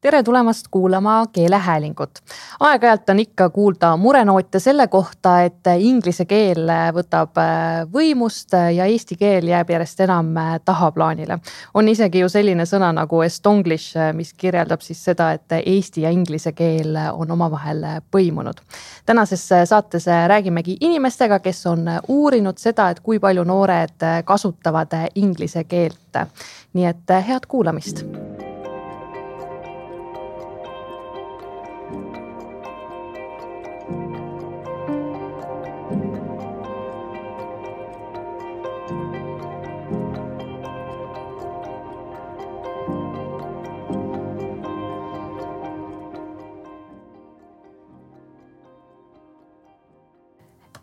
Tere tulemast kuulama keelehäälingut. Aeg-ajalt on ikka kuulda murenoote selle kohta, et inglise keel võtab võimust ja eesti keel jääb järjest enam tahaplaanile. On isegi ju selline sõna nagu estonglish, mis kirjeldab siis seda, et eesti ja inglise keel on omavahel põimunud. Tänases saates räägimegi inimestega, kes on uurinud seda, et kui palju noored kasutavad inglise keelt. Nii et head kuulamist.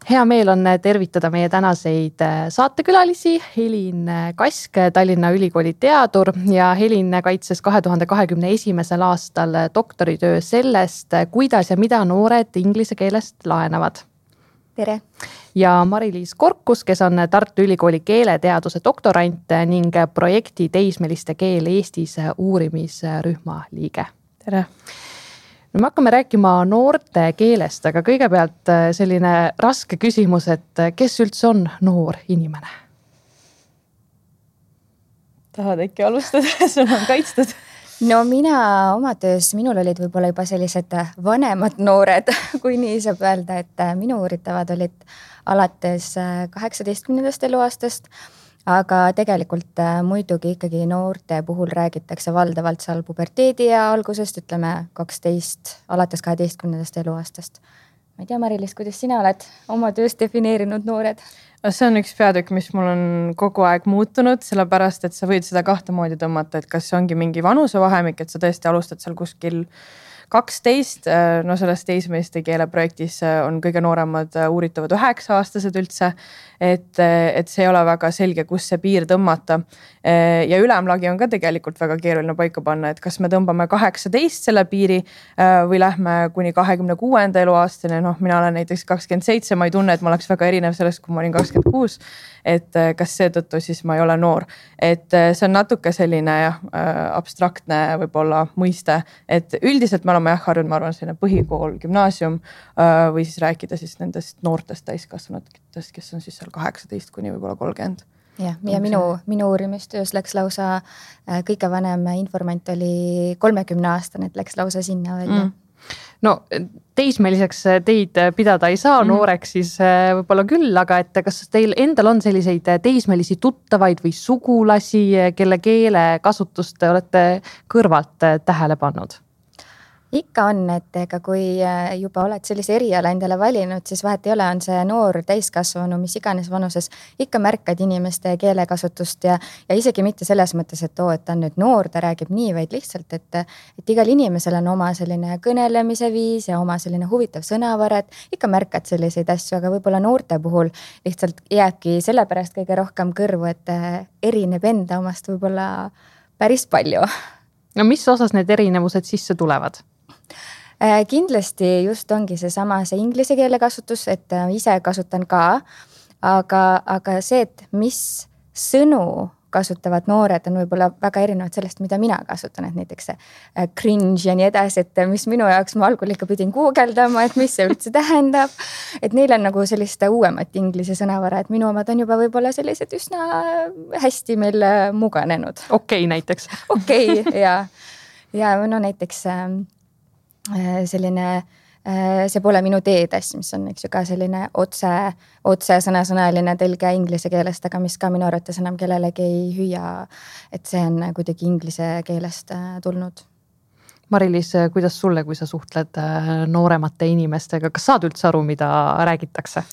Hea meel on tervitada meie tänaseid saatekülalisi. Helin Kask, Tallinna Ülikooli teadur ja Helin kaitses 2021. aastal doktoritöö sellest, kuidas ja mida noored inglise keelest laenavad. Tere! Ja Mari-Liis Korkus, kes on Tartu Ülikooli keeleteaduse doktorant ning projekti Teismeliste keel Eestis uurimisrühma liige. Tere! Me hakkame rääkima noorte keelest, aga kõigepealt selline raske küsimus, et kes üldse on noor inimene? Tahad äkki alustada? Sul on kaitstud? No mina oma töös, minul olid võib-olla juba sellised vanemad noored, kui nii saab öelda, et minu uuritavad olid alates 18. eluaastast, aga tegelikult muidugi ikkagi noorte puhul räägitakse valdavalt seal puberteedi ja algusest, ütleme 12, alates 12. eluaastast. Ma ei tea, Mari-Liis, kuidas sina oled oma töös defineerinud noored? See on üks peatükk, mis mul on kogu aeg muutunud, sellepärast, et sa võid seda kahte moodi tõmmata, et kas see ongi mingi vanusevahemik, et sa tõesti alustad seal kuskil 12, no selles teismeliste keele projektis on kõige nooremad uuritavad 9-aastased üldse, et see ei ole väga selge, kus see piir tõmmata. Ja ülemlagi on ka tegelikult väga keeruline paika panna, et kas me tõmbame 18 selle piiri või lähme kuni 26. eluaastani. No, mina olen näiteks 27, ma ei tunne, et ma oleks väga erinev sellest, kui ma olin 26, et kas seetõttu siis ma ei ole noor. Et see on natuke selline abstraktne võib-olla mõiste, et üldiselt me oleme harjunud, ma arvan, selline põhikool, gümnaasium või siis rääkida siis nendest noortest täiskasvanutest, kes on siis seal 18 kuni võib-olla 30. Ja minu uurimistöös läks lausa kõige vanem informant oli 30-aastane, et läks lausa sinna välja. No teismeliseks teid pidada ei saa, nooreks siis võib-olla küll, aga et kas teil endal on selliseid teismelisi tuttavaid või sugulasi, kelle keele kasutust olete kõrvalt tähele pannud? Ikka on, et ega kui juba oled sellise eriala endale valinud, siis vahet ei ole, on see noor täiskasvanu, mis iganes vanuses, ikka märkad inimeste keelekasutust ja isegi mitte selles mõttes, et et ta on nüüd noor, ta räägib nii, vaid lihtsalt, et igal inimesel on oma selline kõnelemise viis ja oma selline huvitav sõnavara, et ikka märkad selliseid asju, aga võib-olla noorte puhul lihtsalt jääbki sellepärast kõige rohkem kõrvu, et erineb enda omast võib-olla päris palju. No mis osas need erinevused sisse tulevad? Kindlasti just ongi see inglise keele kasutus, et ise kasutan ka, aga see, et mis sõnu kasutavad noored on võib-olla väga erinevad sellest, mida mina kasutan, et näiteks cringe ja nii edasi, et mis minu jaoks ma algul ikka pidin guugeldama, et mis see üldse tähendab, et neil on nagu sellist uuemat inglise sõnavara, et minu omad on juba võib-olla sellised üsna hästi meil muganenud. Okei, näiteks. Okei, ja no näiteks selline, see pole minu teedes, mis on ka selline otse sõnasõnaline tõlge inglise keelest, aga mis ka minu arvates enam kellelegi ei hüüa, et see on kuidagi inglise keelest tulnud. Mari-Liis, kuidas sulle, kui sa suhtled nooremate inimestega, kas saad üldse aru, mida räägitakse?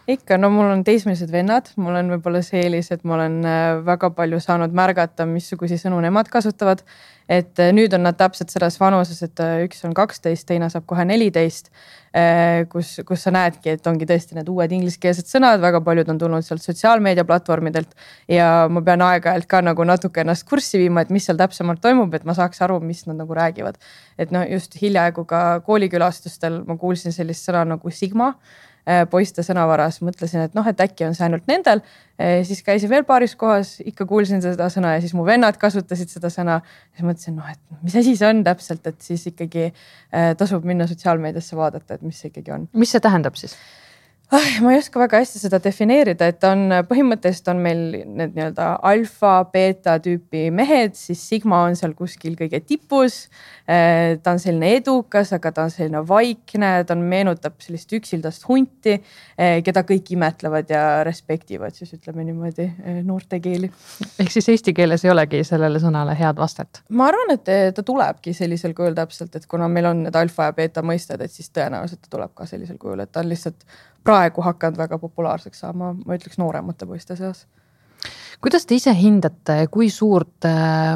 Ikka, no mul on teismelised vennad, mul on võib-olla see eelis, et ma olen väga palju saanud märgata, missugusi sõnu nemad kasutavad. Et nüüd on nad täpselt selles vanuses, et üks on 12, teine saab kohe 14, kus sa näedki, et ongi tõesti need uued ingliskeelsed sõnad, väga paljud on tulnud sealt sotsiaalmeediaplatvormidelt ja ma pean aeg-ajalt ka nagu natuke ennast kurssi viima, et mis seal täpsemalt toimub, et ma saaks aru, mis nad nagu räägivad. Et no just hiljaaegu ka koolikülastustel ma kuulsin sellist sõna nagu sigma, poiste sõnavaras, mõtlesin, et et äkki on see ainult nendel. Siis käisin veel paaris kohas, ikka kuulsin seda sõna ja siis mu vennad kasutasid seda sõna. Siis mõtlesin, et mis asi see on täpselt, et siis ikkagi tasub minna sotsiaalmeediasse vaadata, et mis see ikkagi on. Mis see tähendab siis? Ma ei oska väga hästi seda defineerida, et põhimõtteliselt on meil need nii-öelda alfa, beeta tüüpi mehed, siis sigma on seal kuskil kõige tipus. Ta on selline edukas, aga ta on selline vaikne, ta meenutab sellist üksildast hunti, keda kõik imetlevad ja respektivad, siis ütleme niimoodi noorte keeli. Ehk siis eesti keeles ei olegi sellele sõnale head vastet? Ma arvan, et ta tulebki sellisel kujul täpselt, et kuna meil on need alfa ja beeta mõisted, et siis tõenäoliselt ta tuleb ka sellisel kujul, et ta on lihtsalt praegu hakanud väga populaarseks saama, ma ütleks nooremate poiste seas. Kuidas te ise hindate, kui suurt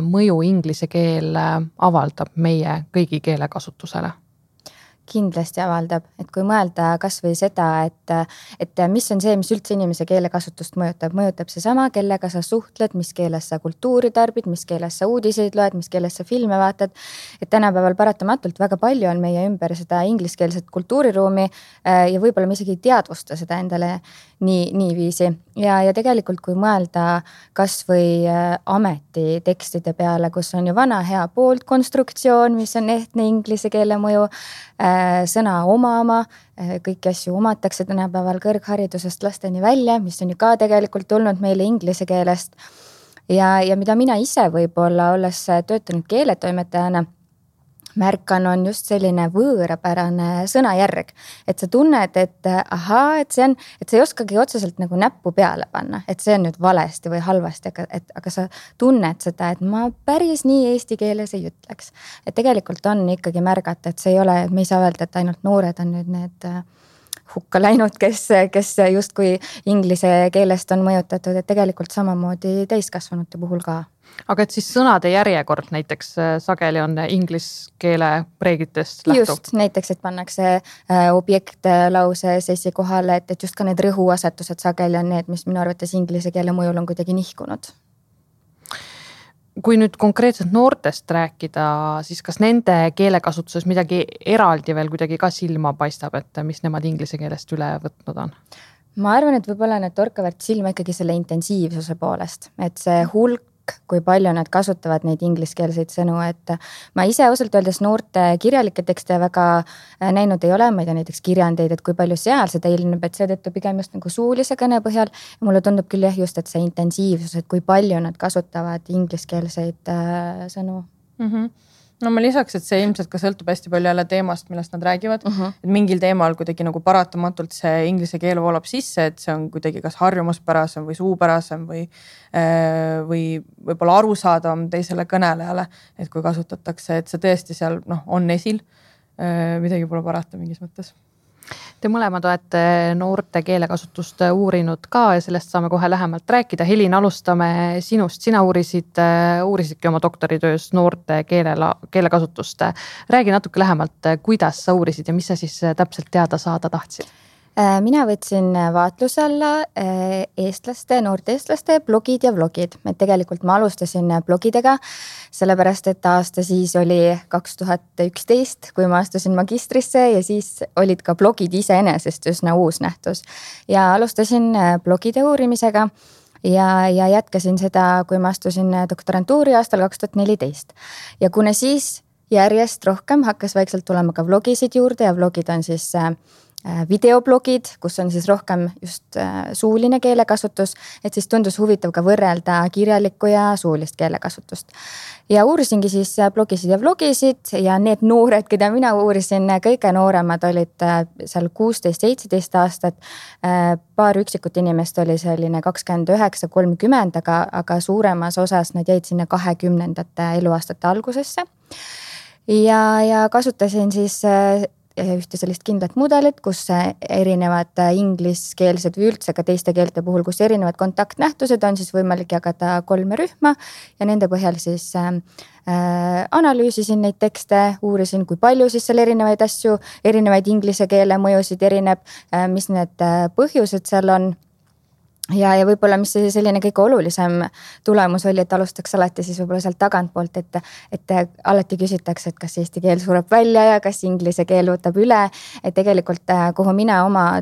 mõju inglise keel avaldab meie kõigi keelekasutusele? Kindlasti avaldab, et kui mõelda kas või seda, et mis on see, mis üldse inimese keelekasutust mõjutab seesama, kellega sa suhtled, mis keeles sa kultuuri tarbid, mis keeles sa uudiseid loed, mis keeles sa filme vaatad. Et tänapäeval paratamatult väga palju on meie ümber seda ingliskeelset kultuuriruumi ja võib-olla me isegi ei teadvusta seda endale niiviisi. Ja tegelikult kui mõelda kas või ametitekstide peale, kus on ju vana hea pooltkonstruktsioon, mis on ehtne inglise keele mõju, sõna oma, kõiki asju omatakse tänapäeval kõrgharidusest lasteni välja, mis on ju ka tegelikult tulnud meile inglise keelest. Ja mida mina ise võib-olla olles töötanud keeletoimetajana märkan, on just selline võõrapärane sõnajärg. Et sa tunned, et ahaa, et sa ei oskagi otseselt nagu näppu peale panna, et see on nüüd valesti või halvasti, aga sa tunned seda, et ma päris nii eesti keeles ei ütleks. Et tegelikult on ikkagi märgata, et see ei ole, me ei saa öelda, et ainult noored on nüüd need hukka läinud, kes justkui inglise keelest on mõjutatud, et tegelikult samamoodi täiskasvanute puhul ka. Aga et siis sõnade järjekord näiteks sageli on inglise keele reeglitest lähtuv? Just, näiteks, et pannakse objekt lauses esikohale, et just ka need rõhuasetused sageli on need, mis minu arvates inglise keele mõjul on kuidagi nihkunud. Kui nüüd konkreetselt noortest rääkida, siis kas nende keelekasutuses midagi eraldi veel kuidagi ka silma paistab, et mis nemad inglise keelest üle võtnud on? Ma arvan, et võib-olla need torkavad silma ikkagi selle intensiivsuse poolest, et see hulk, kui palju nad kasutavad neid ingliskeelseid sõnu, et ma ise ausalt öeldes noorte kirjalikke tekste väga näinud ei ole, ma ei tea näiteks kirjandeid, et kui palju seal seda ilmneb, et seetõttu pigem just nagu suulise kõne põhjal. Ja mulle tundub küll just, et see intensiivsus, et kui palju nad kasutavad ingliskeelseid sõnu. No ma lisaks, et see ilmselt ka sõltub hästi palju jälle teemast, millest nad räägivad. Et mingil teemal kuidagi nagu paratamatult see inglise keel voolab sisse, et see on kuidagi kas harjumuspärasem või suupärasem või võib-olla arusaadavam teisele kõnelejale, et kui kasutatakse, et see tõesti seal on esil, midagi pole parata mingis mõttes. Te mõlemad olete noorte keelekasutust uurinud ka ja sellest saame kohe lähemalt rääkida. Helin, alustame sinust. Sina uurisidki oma doktoritöös noorte keelekasutust. Räägi natuke lähemalt, kuidas sa uurisid ja mis sa siis täpselt teada saada tahtsid? Mina võtsin vaatluse alla noorte eestlaste blogid ja vlogid. Et tegelikult ma alustasin blogidega, sellepärast et aasta siis oli 2011, kui ma astusin magistrisse ja siis olid ka blogid iseenesest üsna uus nähtus. Ja alustasin blogide uurimisega ja jätkasin seda, kui ma astusin doktorantuuri aastal 2014. Ja kuna siis järjest rohkem hakkas vaikselt tulema ka vlogisid juurde ja vlogid on siis videoblogid, kus on siis rohkem just suuline keelekasutus, et siis tundus huvitav ka võrrelda kirjalikku ja suulist keelekasutust. Ja uurisingi siis blogisid ja vlogisid ja need noored, keda mina uurisin, kõige nooremad olid seal 16-17 aastat. Paar üksikut inimest oli selline 29-30, aga suuremas osas nad jäid sinna 20. eluaastate algusesse. Ja kasutasin siis ühte sellist kindlat mudelit, kus erinevad ingliskeelsed või üldse ka teiste keelte puhul, kus erinevad kontaktnähtused on siis võimalik jagada 3 rühma ja nende põhjal siis analüüsisin neid tekste, uurisin, kui palju siis seal erinevaid asju, erinevaid inglise keele mõjusid erineb, mis need põhjused seal on. ja võib-olla, mis selline kõige olulisem tulemus oli, et alustaks alati siis võib-olla sealt tagantpoolt, et alati küsitakse, et kas eesti keel sureb välja ja kas inglise keel võtab üle. Et tegelikult, kuhu mina oma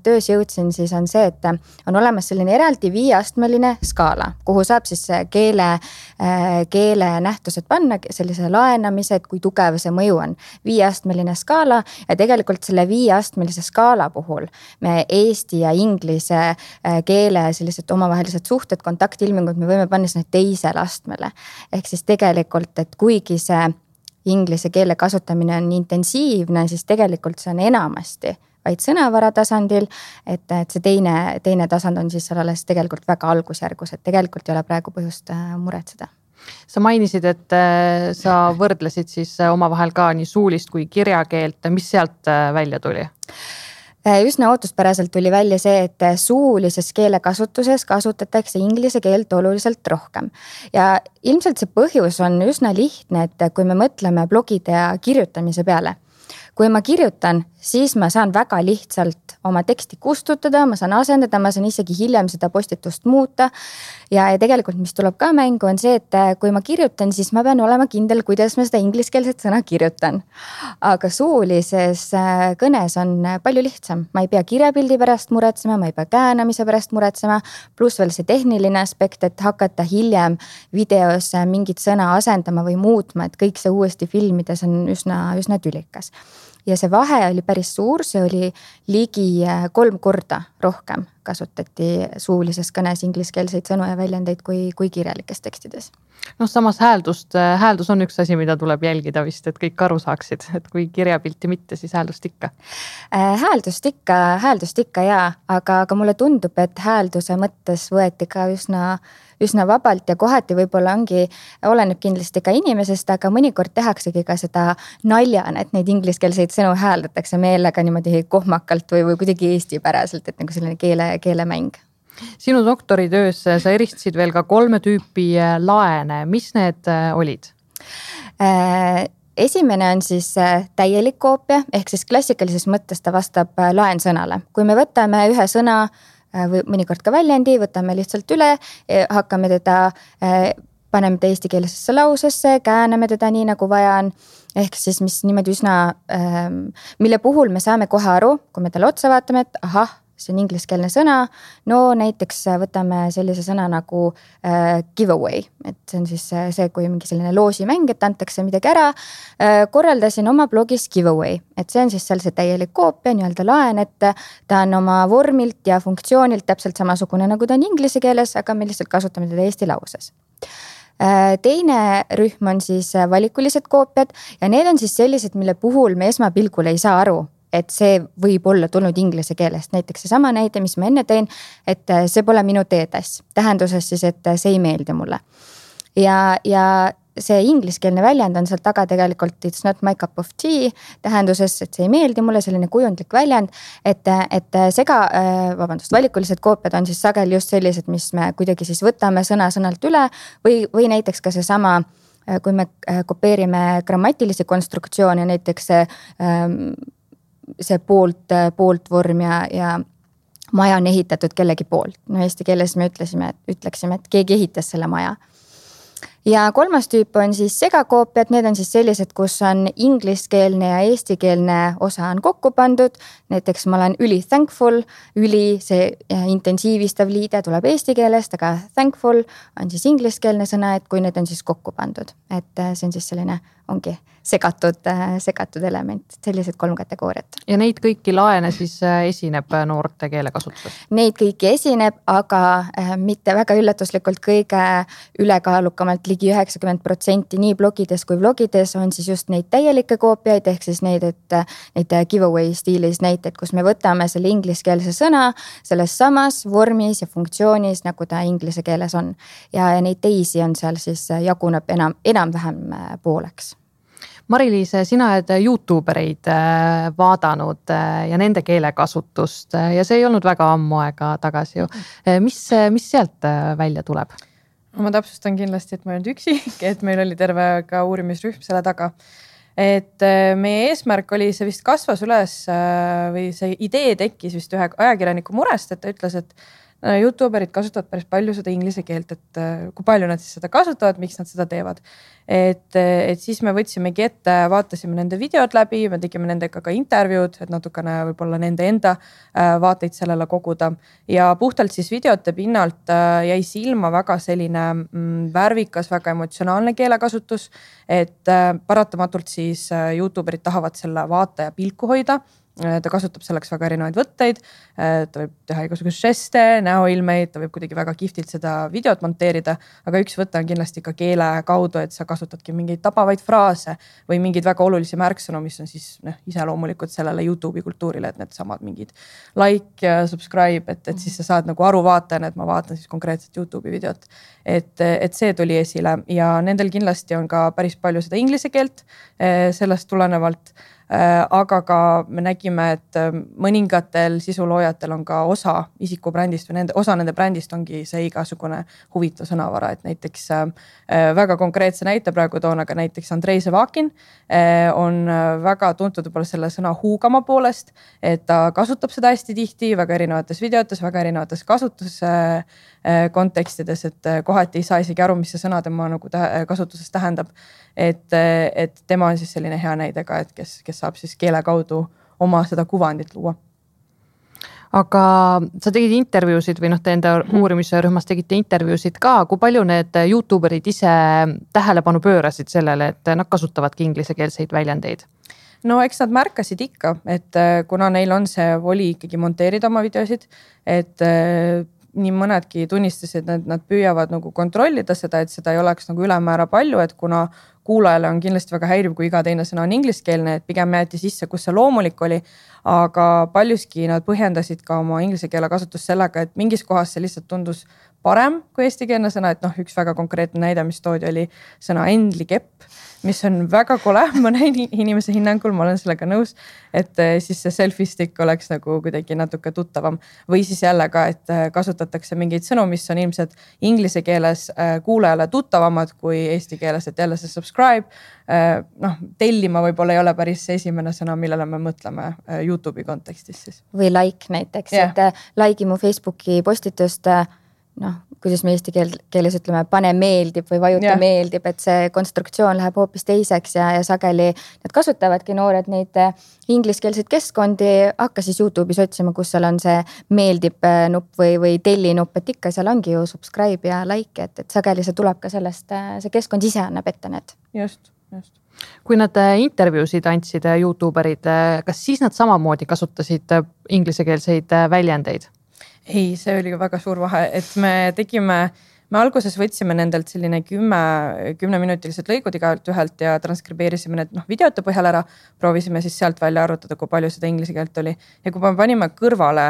töös jõudsin, siis on see, et on olemas selline eraldi 5-astmeline skaala, kuhu saab siis keele nähtused panna, sellise laenamise, et kui tugev see mõju on. 5-astmeline skaala ja tegelikult selle 5-astmelise skaala puhul me eesti ja inglise keele sellised omavahelised suhted, kontaktilmingud, me võime panna sinna teisele astmele. Ehk siis tegelikult, et kuigi see inglise keele kasutamine on intensiivne, siis tegelikult see on enamasti vaid sõnavara tasandil, et see teine tasand on siis alles tegelikult väga algusjärgus, et tegelikult ei ole praegu põhjust muretseda. Sa mainisid, et sa võrdlesid siis omavahel ka nii suulist kui kirjakeelt, mis sealt välja tuli? Üsna ootuspäraselt tuli välja see, et suulises keelekasutuses kasutatakse inglise keelt oluliselt rohkem. Ja ilmselt see põhjus on üsna lihtne, et kui me mõtleme blogide ja kirjutamise peale. Kui ma kirjutan, siis ma saan väga lihtsalt oma teksti kustutada, ma saan asendada, ma saan isegi hiljem seda postitust muuta. Ja tegelikult, mis tuleb ka mängu, on see, et kui ma kirjutan, siis ma pean olema kindel, kuidas ma seda ingliskeelset sõna kirjutan. Aga suulises kõnes on palju lihtsam. Ma ei pea kirjapildi pärast muretsema, ma ei pea käänamise pärast muretsema, pluss veel see tehniline aspekt, et hakata hiljem videos mingit sõna asendama või muutma, et kõik see uuesti filmides on üsna tülikas. Ja see vahe oli päris suur, see oli ligi 3 korda rohkem kasutati suulises kõnes ingliskeelseid sõnu ja väljendeid kui kirjalikes tekstides. Samas hääldus on üks asi, mida tuleb jälgida vist, et kõik aru saaksid, et kui kirjapilti mitte, siis hääldust ikka. Hääldust ikka jaa, aga mulle tundub, et häälduse mõttes võeti ka üsna vabalt ja kohati võib-olla oleneb kindlasti ka inimesest, aga mõnikord tehaksegi ka seda naljana, et neid ingliskeelseid sõnu hääldatakse meelega niimoodi kohmakalt või kuidagi eestipäraselt, et nagu selline keelemäng. Sinu doktoritöös sa eristasid veel ka 3 tüüpi laene. Mis need olid? Esimene on siis täielik koopia, ehk siis klassikalises mõttes ta vastab laensõnale. Kui me võtame ühe sõna või mõnikord ka väljendi, võtame lihtsalt üle, hakkame teda, paneme ta eestikeelsesse lausesse, kääname teda nii nagu vaja on, ehk siis mis niimoodi mille puhul me saame kohe aru, kui me talle otsa vaatame, et ahah, see on ingliskeelne sõna. No näiteks võtame sellise sõna nagu giveaway, et see on siis see, kui mingi selline loosimäng, et antakse midagi ära. Korraldasin oma blogis giveaway, et see on siis seal see täielik koopia, nii-öelda laen, et ta on oma vormilt ja funktsioonilt täpselt samasugune nagu ta on inglise keeles, aga me lihtsalt kasutame teda eesti lauses. Teine rühm on siis valikulised koopiad ja need on siis sellised, mille puhul me esmapilgul ei saa aru, et see võib olla tulnud inglise keelest. Näiteks see sama näide, mis ma enne tõin, et see pole minu teetass. Tähenduses siis, et see ei meeldi mulle. Ja see ingliskeelne väljend on seal taga tegelikult it's not my cup of tea. Tähenduses, et see ei meeldi mulle, selline kujundlik väljend, et valikulised koopiad on siis sageli just sellised, mis me kuidagi siis võtame sõnalt üle või näiteks ka see sama, kui me kopeerime grammatilisi konstruktsioone, näiteks see poolt vorm ja maja on ehitatud kellegi poolt. No eesti keeles me ütleksime, et keegi ehitas selle maja. Ja 3. tüüp on siis segakoopiad, need on siis sellised, kus on ingliskeelne ja eestikeelne osa on kokku pandud. Näiteks ma olen thankful, see intensiivistav liide tuleb eesti keelest, aga thankful on siis ingliskeelne sõna, et kui need on siis kokku pandud. Et see on siis selline, ongi segatud element, sellised 3 kategooriat. Ja neid kõiki laene siis esineb noorte keelekasutuses? Neid kõiki esineb, aga mitte väga üllatuslikult kõige ülekaalukamalt ligi 90% nii blogides kui vlogides on siis just neid täielikke koopiaid, ehk siis neid giveaway stiilis näiteid, kus me võtame selle ingliskeelse sõna selles samas vormis ja funktsioonis, nagu ta inglise keeles on. Ja neid teisi on seal siis jaguneb enam-vähem pooleks. Mari-Liis, sina oled YouTubereid vaadanud ja nende keelekasutust ja see ei olnud väga ammu aega tagasi ju. Mis sealt välja tuleb? Ma täpsustan kindlasti, et ma ei olnud üksi, et meil oli terve ka uurimisrühm selle taga. Et meie eesmärk oli, see vist kasvas üles või see idee tekkis vist ühe ajakirjaniku murest, et ta ütles, et YouTuberid kasutavad päris palju seda inglise keelt, et kui palju nad siis seda kasutavad, miks nad seda teevad. Et siis me võtsimegi ette, vaatasime nende videod läbi, me tegime nendega ka intervjuud, et natukene võib-olla nende enda vaateid sellele koguda. Ja puhtalt siis videote pinnalt jäi silma väga selline värvikas, väga emotsionaalne keelekasutus, et paratamatult siis YouTuberid tahavad selle vaataja pilku hoida. Ta kasutab selleks väga erinevaid võtteid, ta võib teha igasuguseid žeste, näoilmeid, ta võib kuidagi väga kihvtilt seda videot monteerida, aga üks võte on kindlasti ka keele kaudu, et sa kasutadki mingeid tabavaid fraase või mingeid väga olulisi märksõnu, mis on siis iseloomulikult sellele YouTube'i kultuurile, et need samad mingid like ja subscribe, et siis sa saad nagu aru vaatajana, et ma vaatan siis konkreetselt YouTube'i videot. Et see tuli esile ja nendel kindlasti on ka päris palju seda inglise keelt sellest tulenevalt. Aga ka me nägime, et mõningatel sisuloojatel on ka osa isikubrändist või osa nende brändist ongi see igasugune huvitav sõnavara, et näiteks väga konkreetse näite praegu toon, aga näiteks Andrei Sevakin on väga tuntud võib-olla selle sõna huugama poolest, et ta kasutab seda hästi tihti väga erinevates videotes, väga erinevates kasutuskontekstides, et kohati ei saa isegi aru, mis see sõna tema nagu kasutuses tähendab. Et tema on siis selline hea näide ka, et kes saab siis keele kaudu oma seda kuvandit luua. Aga sa tegid intervjuusid või te enda uurimisrühmas tegite intervjuusid ka, kui palju need YouTuberid ise tähelepanu pöörasid sellele, et nad kasutavadki inglisekeelseid väljendeid? No eks nad märkasid ikka, et kuna neil on see voli ikkagi monteerida oma videosid, et nii mõnedki tunnistasid, et nad püüavad nagu kontrollida seda, et seda ei oleks nagu ülemäära palju, et kuna kuulajale on kindlasti väga häiriv, kui iga teine sõna on ingliskeelne, et pigem jäeti sisse, kus see loomulik oli, aga paljuski nad põhjendasid ka oma inglise keele kasutust sellega, et mingis kohas see lihtsalt tundus parem kui eestikeelne sõna, et üks väga konkreetne näide, mis toodi, oli sõna endlikepp, mis on väga kole, ma näin inimese hinnangul, ma olen sellega nõus, et siis see selfie stick oleks nagu kuidagi natuke tuttavam või siis jälle ka, et kasutatakse mingeid sõnu, mis on ilmselt inglise keeles kuulajale tuttavamad kui eesti keeles, et jälle see subscribe, tellima võib-olla ei ole päris esimene sõna, millele me mõtleme YouTube'i kontekstis siis. Või like näiteks, et like'i mu Facebooki postitust, kuidas me eesti keeles ütleme, pane meeldib või vajuta meeldib, et see konstruktsioon läheb hoopis teiseks ja sageli need kasutavadki noored neid ingliskeelseid keskkondi, hakka siis YouTube'is otsima, kus seal on see meeldib nupp või telli nupp, et ikka seal ongi ju subscribe ja like, et sageli see tuleb ka sellest, see keskkond ise annab ette need. Just. Kui nad intervjuusid andsid YouTuberid, kas siis nad samamoodi kasutasid ingliskeelseid väljendeid? Ei, see oli ka väga suur vahe, et me alguses võtsime nendelt selline 10-minutilised lõigud igalt ühelt ja transkribeerisime need videote põhjal ära, proovisime siis sealt välja arvutada, kui palju seda inglise keelt oli. Ja kui me panime kõrvale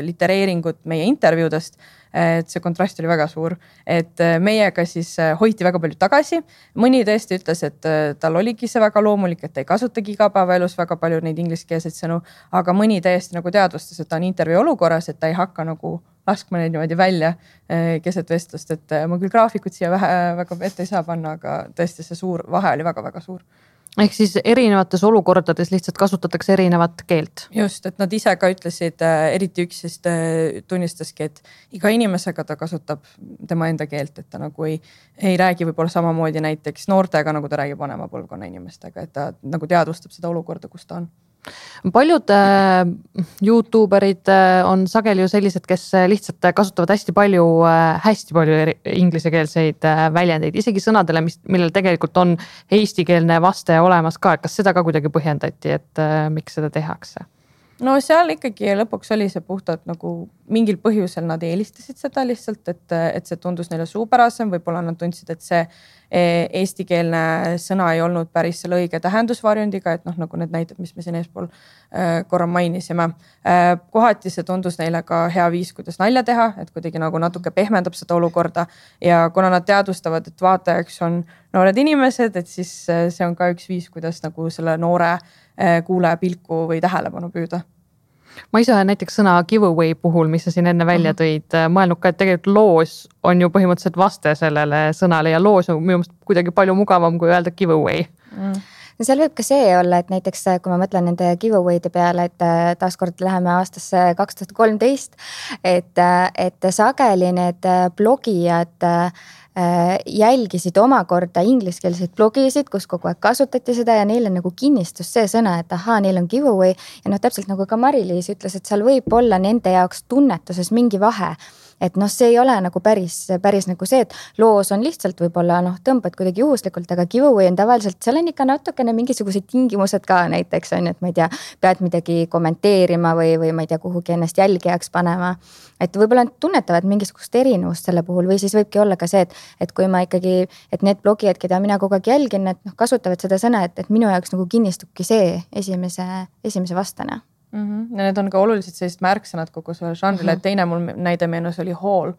litereeringut meie intervjuudest, et see kontrast oli väga suur, et meiega siis hoiti väga palju tagasi. Mõni tõesti ütles, et tal oligi see väga loomulik, et ta ei kasutagi igapäevaelus väga palju neid ingliskeelseid sõnu, aga mõni täiesti nagu teadvustas, et ta on intervjuu olukorras, et ta ei hakka nagu laskma neid niimoodi välja keset vestlust, et ma küll graafikut siia väga ette ei saa panna, aga tõesti see suur vahe oli väga-väga suur. Ehk siis erinevates olukordades lihtsalt kasutatakse erinevat keelt. Just, et nad ise ka ütlesid, eriti üks siis tunnistaski, et iga inimesega ta kasutab tema enda keelt, et ta nagu ei räägi võib-olla samamoodi näiteks noortega, nagu ta räägib vanema põlvkonna inimestega, et ta nagu teadvustab seda olukorda, kus ta on. Paljud YouTuberid on sageli ju sellised, kes lihtsalt kasutavad hästi palju ingliskeelseid väljendeid, isegi sõnadele, millel tegelikult on eestikeelne vaste olemas ka. Kas seda ka kuidagi põhjendati, et miks seda tehakse? No seal ikkagi lõpuks oli see puhtalt nagu mingil põhjusel nad eelistasid seda lihtsalt, et see tundus neile suupärasem, võib-olla nad tundsid, et see eestikeelne sõna ei olnud päris selle õige tähendusvarjundiga, et nagu need näited, mis me siin eespool korra mainisime. Kohati see tundus neile ka hea viis, kuidas nalja teha, et kuidagi nagu natuke pehmendab seda olukorda ja kuna nad teadvustavad, et vaatajaks on noored inimesed, et siis see on ka üks viis, kuidas nagu selle noore kuulaja pilku või tähelepanu püüda. Ma ise näiteks sõna giveaway puhul, mis sa siin enne välja tõid, mõelnud ka, et tegelikult loos on ju põhimõtteliselt vaste sellele sõnale ja loos on minu meelest kuidagi palju mugavam kui öelda giveaway. seal võib ka see olla, et näiteks kui ma mõtlen nende giveaway'de peale, et taaskord läheme aastasse 2013, et sageli need blogijad jälgisid omakorda ingliskeelseid blogisid, kus kogu aeg kasutati seda ja neile nagu kinnistus see sõna, et ahaa, neil on giveaway ja täpselt nagu ka Mari-Liis ütles, et seal võib olla nende jaoks tunnetuses mingi vahe. Et see ei ole nagu päris nagu see, et loos on lihtsalt võib-olla tõmbad kuidagi juhuslikult, aga giveaway on tavaliselt, seal on ikka natukene mingisugused tingimused ka näiteks on, et ma ei tea, pead midagi kommenteerima või ma ei tea, kuhugi ennast jälgijaks panema. Et võib-olla tunnetavad mingisugust erinevust selle puhul või siis võibki olla ka see, et kui ma ikkagi, et need blogijad, keda mina kogu aeg jälgin, et kasutavad seda sõna, et minu jaoks nagu kinnistubki see esimese vastane. Ja need on ka oluliselt sellised märksõnad kogu selle žanrile, et teine mul näide meenus oli haul,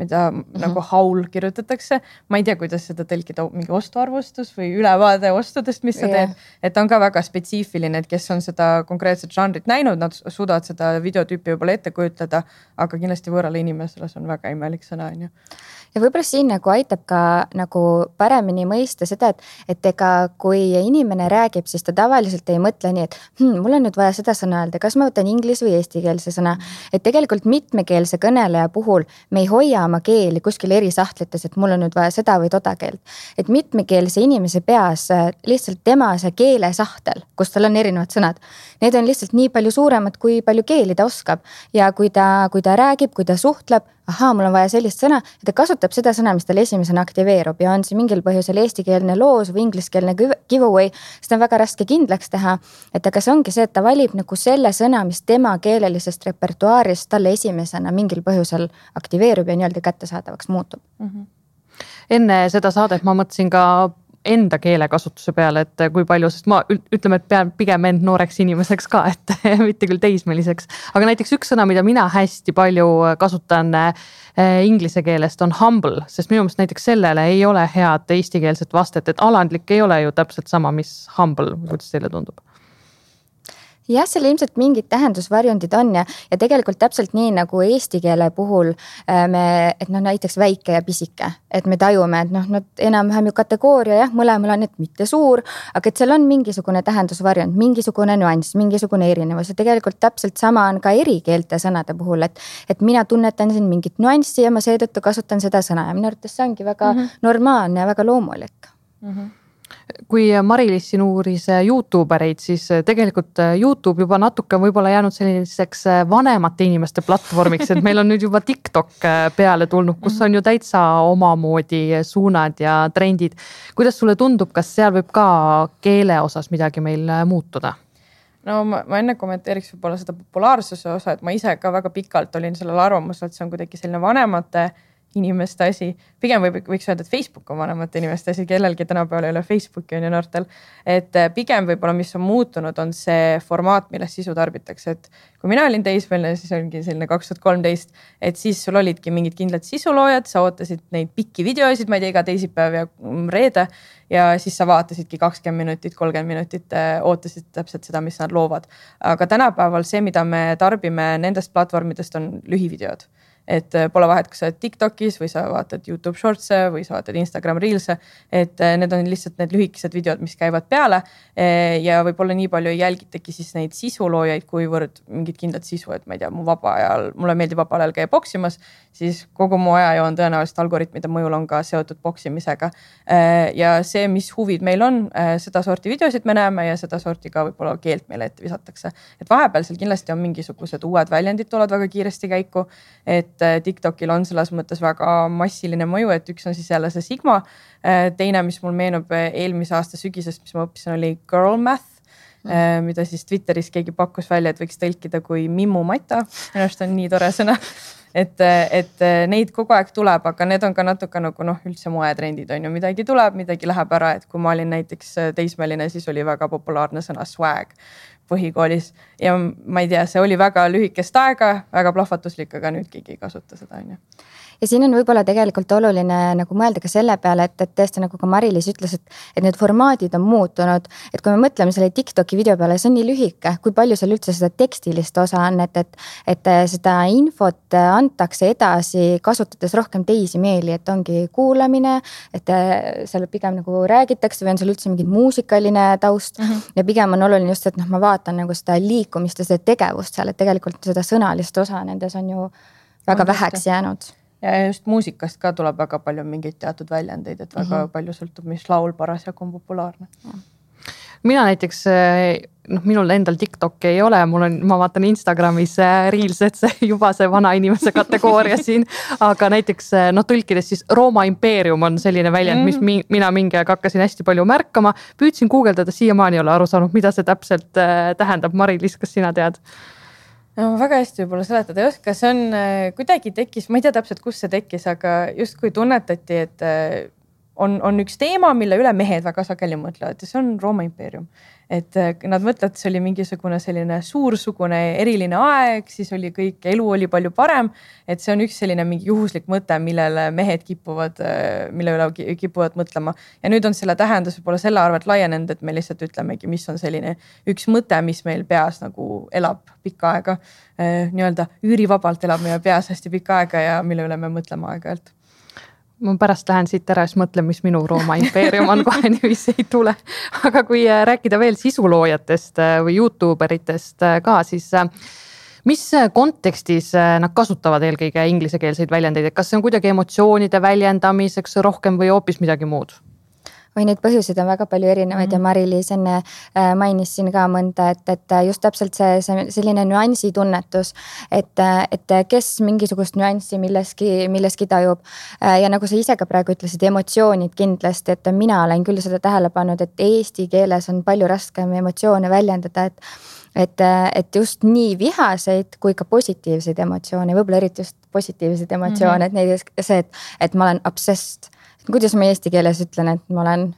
mida nagu haul kirjutatakse. Ma ei tea, kuidas seda tõlkida, mingi ostuarvustus või ülevaade ostudest, mis sa teed. Et on ka väga spetsiifiline, et kes on seda konkreetset žanrit näinud, nad suudavad seda videotüüpi võib-olla ette kujutleda, aga kindlasti võõrale inimesele see on väga imelik sõna. Ja võib-olla siin nagu aitab ka nagu paremini mõista seda, et ega kui inimene räägib, siis ta tavaliselt ei mõtle nii, et mul on nüüd vaja seda sõna öelda, kas ma võtan inglis või eestikeelse sõna. Et tegelikult mitmekeelse kõneleja puhul me ei hoia oma keeli kuskil eri sahtlites, et mul on nüüd vaja seda või toda keelt. Et mitmekeelse inimese peas lihtsalt tema see keelesahtel, kus tal on erinevad sõnad, need on lihtsalt nii palju suuremad, kui palju keeli ta oskab. Ja kui ta räägib, kui ta suhtleb, ahaa, mul on vaja sellist sõna, et ta kasutab seda sõna, mis tal esimesena aktiveerub ja on see mingil põhjusel eestikeelne loos või ingliskeelne giveaway, seda on väga raske kindlaks teha, et aga see ongi see, et ta valib nagu selle sõna, mis tema keelelisest repertuaarist talle esimesena mingil põhjusel aktiveerub ja nii-öelda kättesaadavaks muutub. Enne seda saadet ma mõtlesin ka enda keelekasutuse peale, et kui palju, sest ma ütleme, et pean pigem end nooreks inimeseks ka, et mitte küll teismeliseks. Aga näiteks üks sõna, mida mina hästi palju kasutan inglise keelest on humble, sest minu meelest näiteks sellele ei ole head eestikeelset vastet, et alandlik ei ole ju täpselt sama, mis humble, kuidas teile tundub? Jah, seal ilmselt mingid tähendusvarjundid on ja tegelikult täpselt nii nagu eesti keele puhul et näiteks väike ja pisike, et me tajume, et nad enam-vähem ju kategooria jah, mõlemal on, et mitte suur, aga et seal on mingisugune tähendusvarjund, mingisugune nüanss, mingisugune erinevus ja tegelikult täpselt sama on ka erikeelte sõnade puhul, et mina tunnetan siin mingit nüanssi ja ma seetõttu kasutan seda sõna ja minu arvates see ongi väga normaalne ja väga loomulik. Kui Mari-Liis siin uuris YouTubereid, siis tegelikult YouTube juba natuke võib-olla jäänud selliseks vanemate inimeste platvormiks, et meil on nüüd juba TikTok peale tulnud, kus on ju täitsa omamoodi suunad ja trendid. Kuidas sulle tundub, kas seal võib ka keele osas midagi meil muutuda? No ma enne kommenteeriks võib-olla seda populaarsuse osa, et ma ise ka väga pikalt olin sellel arvamusel, et see on kuidagi selline vanemate inimeste asi. Pigem võiks öelda, et Facebook on vanemate inimeste asi, kellelgi tänapäeval ei ole Facebooki on ju noortel. Et pigem võib-olla, mis on muutunud, on see formaat, millest sisu tarbitakse. Et kui mina olin teismeline, siis ongi selline 2013, et siis sul olidki mingid kindlad sisuloojad, sa ootasid neid pikki videoisid, ma ei tea, iga teisipäev ja reede ja siis sa vaatasidki 20 minutit, 30 minutit, ootasid täpselt seda, mis nad loovad. Aga tänapäeval see, mida me tarbime nendest platvormidest on lühivideod. Et pole vahet, kas sa oled TikTokis või sa vaatad YouTube Shortse või sa vaatad Instagram Reelse, et need on lihtsalt need lühikesed videod, mis käivad peale ja võib-olla nii palju ei jälgitagi siis neid sisuloojaid, kuivõrd mingid kindlad sisu, et ma ei tea, mulle meeldib vabal ajal käia boksimas, siis kogu mu ajajoon tõenäoliselt algoritmide mõjul on ka seotud boksimisega ja see, mis huvid meil on, seda sorti videosid me näeme ja seda sorti ka võib-olla keelt meile ette visatakse. Et vahepeal seal kindlasti on mingisugused uued väljendid tulevad väga kiiresti käiku, et TikTokil on selles mõttes väga massiline mõju, et üks on siis jälle see Sigma. Teine, mis mul meenub eelmise aasta sügisest, mis ma õppisin, oli girl math, mida siis Twitteris keegi pakkus välja, et võiks tõlkida kui mimmumata. Minu arust on nii tore sõna. Et neid kogu aeg tuleb, aga need on ka natuke nagu üldse moetrendid on ju, midagi tuleb, midagi läheb ära, et kui ma olin näiteks teismeline, siis oli väga populaarne sõna swag, põhikoolis ja ma ei tea, see oli väga lühikest aega, väga plahvatuslik, aga nüüd keegi ei kasuta seda, on ju. Ja siin on võib-olla tegelikult oluline nagu mõelda ka selle peale, et tõesti nagu ka Mari-Liis ütles, et need formaadid on muutunud, et kui me mõtleme selle TikToki video peale, see on nii lühike, kui palju seal üldse seda tekstilist osa on, et seda infot antakse edasi, kasutades rohkem teisi meeli, et ongi kuulamine, et seal pigem nagu räägitakse või on seal üldse mingi muusikaline taust ja pigem on oluline just, et ma vaatan nagu seda liikumist ja seda tegevust seal, et tegelikult seda sõnalist osa nendes on ju väga väheks jäänud. Ja just muusikast ka tuleb väga palju mingeid teatud väljendeid, et väga palju sõltub, mis laul parasjagu on populaarne. Mina näiteks, minul endal TikTok ei ole, ma vaatan Instagramis Reels, et see juba see vana inimese kategooria siin, aga näiteks tõlkides siis Rooma impeerium on selline väljend, mis mina mingi aeg hakkasin hästi palju märkama, püüdsin guugeldada, siiamaani ei ole aru saanud, mida see täpselt tähendab. Mari-Liis, kas sina tead? No väga hästi võib-olla seletada ei oska, see on kuidagi tekkis, ma ei tea täpselt, kus see tekkis, aga just kui tunnetati, et on üks teema, mille üle mehed väga sageli mõtlevad ja see on Rooma impeerium. Et nad mõtlevad, et see oli mingisugune selline suursugune eriline aeg, siis oli kõik, elu oli palju parem, et see on üks selline mingi juhuslik mõte, millele mehed mille üle kipuvad mõtlema. Ja nüüd on selle tähendus võib-olla selle arvelt laienenud, et me lihtsalt ütlemegi, mis on selline üks mõte, mis meil peas nagu elab pikka aega, nii-öelda üürivabalt elab meie peas hästi pikka aega ja mille üle me mõtleme aeg-ajalt. Ma pärast lähen siit ära, siis mõtlen, mis minu Rooma impeerium on, kohe niiviisi ei tule. Aga kui rääkida veel sisuloojatest või YouTuberitest ka, siis mis kontekstis nad kasutavad eelkõige inglisekeelseid väljendeid, et kas see on kuidagi emotsioonide väljendamiseks rohkem või hoopis midagi muud? Või neid põhjuseid on väga palju erinevaid ja Mari-Liis enne mainis siin ka mõnda, et just täpselt see selline nüansi tunnetus, et kes mingisugust nüanssi milleski tajub. Ja nagu sa ise ka praegu ütlesid, emotsioonid kindlasti, et mina olen küll seda tähele pannud, et eesti keeles on palju raskem emotsioone väljendada, et just nii vihaseid kui ka positiivseid emotsioone, võib-olla eriti just positiivseid emotsioone, et neid see, et ma olen obsessed. Kuidas ma eesti keeles ütlen, et ma olen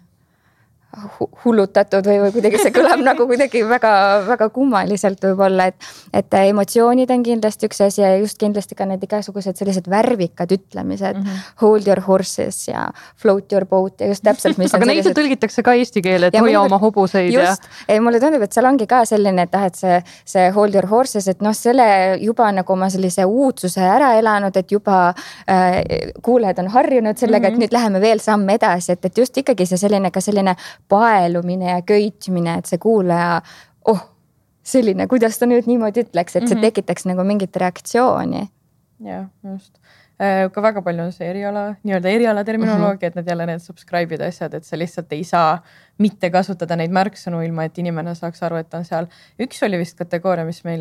hullutatud või kuidagi see kõlab nagu kuidagi väga, väga kummaliselt võib-olla, et emotsioonid on kindlasti üks asi ja just kindlasti ka need igasugused sellised värvikad ütlemised, hold your horses ja float your boat ja just täpselt, mis aga neid tõlgitakse ka eesti keele, et hoia oma hobuseid. Just, mulle tundub, et seal ongi ka selline, et see hold your horses, et selle juba nagu oma sellise uudsuse ära elanud, et juba kuulajad on harjunud sellega, et nüüd läheme veel samm edasi, et just ikkagi see selline ka selline paelumine ja köitmine, et see kuulaja, selline, kuidas ta nüüd niimoodi ütleks, et see tekitaks nagu mingit reaktsiooni. Ja, just. Ka väga palju on see eriala terminoloogia, et need jälle need subscribe'id asjad, et sa lihtsalt ei saa mitte kasutada neid märksõnu ilma, et inimene saaks aru, et on seal. Üks oli vist kategooria, mis me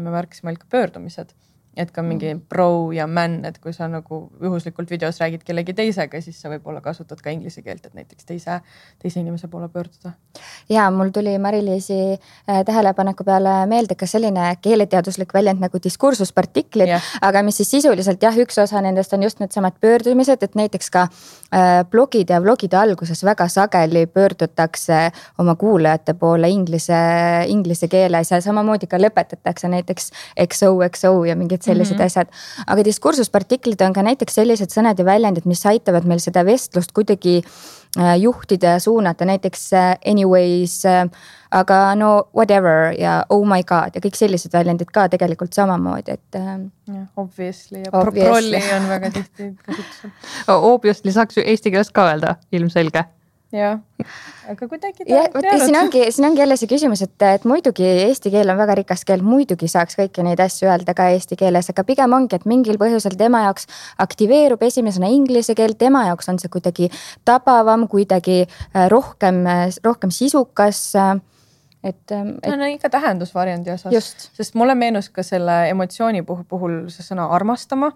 märkisime ka pöördumised. Et ka mingi pro ja man, et kui sa nagu juhuslikult videos räägid kellegi teisega, siis sa võib-olla kasutad ka inglise keelt, et näiteks teise inimese poole pöörduda. Ja mul tuli Mari-Liisi tähelepaneku peale meelde ka selline keeleteaduslik väljend nagu diskursuspartiklid, aga mis siis sisuliselt üks osa nendest on just need samad pöördumised, et näiteks ka blogide ja vlogide alguses väga sageli pöördutakse oma kuulajate poole inglise keeles ja samamoodi ka lõpetatakse näiteks XOXO ja mingid sellised asjad. Aga diskursuspartiklid on ka näiteks sellised sõnad ja väljendid, mis aitavad meil seda vestlust kuidagi juhtida ja suunata, näiteks anyways, aga no whatever ja oh my god ja kõik sellised väljendid ka tegelikult samamoodi, et obviously ja prolli on väga tihti kasutusel. Obviously saaks ju eesti keeles ka öelda, ilmselge. Ja, aga kuidagi siin ongi jälle see küsimus, et muidugi eesti keel on väga rikas keel, muidugi saaks kõiki neid asju öelda ka eesti keeles, aga pigem ongi, et mingil põhjusel tema jaoks aktiveerub esimesena inglise keel, tema jaoks on see kuidagi tabavam, kuidagi rohkem sisukas. No ikka tähendusvariandi osas, sest mulle meenus ka selle emotsiooni puhul see sõna armastama,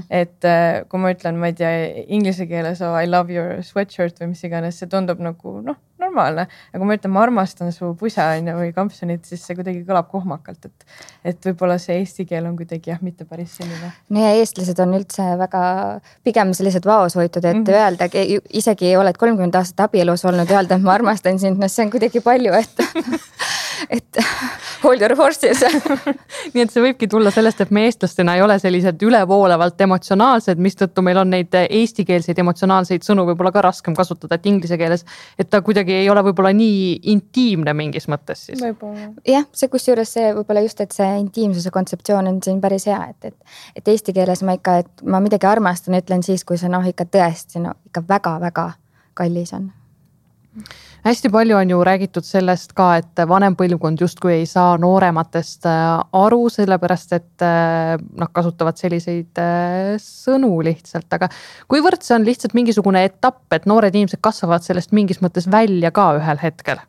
et kui ma ütlen, ma ei tea, inglise keeles I love your sweatshirt või mis iganes, see tundub nagu normaalne, aga kui ma ütlen, ma armastan su pusa või kampsunit, siis see kuidagi kõlab kohmakalt, et võib-olla see eesti keel on kuidagi mitte päris selline. No ja eestlased on üldse väga pigem sellised vaoshoitud, et öelda, isegi oled 30 aastat abielus olnud, öelda, et ma armastan sind, no see on kuidagi palju, et Hold your horses. Nii et see võibki tulla sellest, et me eestlastena ei ole sellised ülevoolavalt emotsionaalsed, mistõttu meil on neid eestikeelseid emotsionaalseid sõnu võib-olla ka raskem kasutada, et inglise keeles, et ta kuidagi ei ole võib-olla nii intiimne mingis mõttes siis. Jah, see kusjuures see võib-olla just, et see intiimsuse kontseptsioon on siin päris hea, et eesti keeles ma midagi armastan, ütlen siis, kui see ikka tõesti, ikka väga-väga kallis on. Hästi palju on ju räägitud sellest ka, et vanem põlvkond justkui ei saa noorematest aru, sellepärast et nad kasutavad selliseid sõnu lihtsalt, aga kuivõrd see on lihtsalt mingisugune etapp, et noored inimesed kasvavad sellest mingis mõttes välja ka ühel hetkel?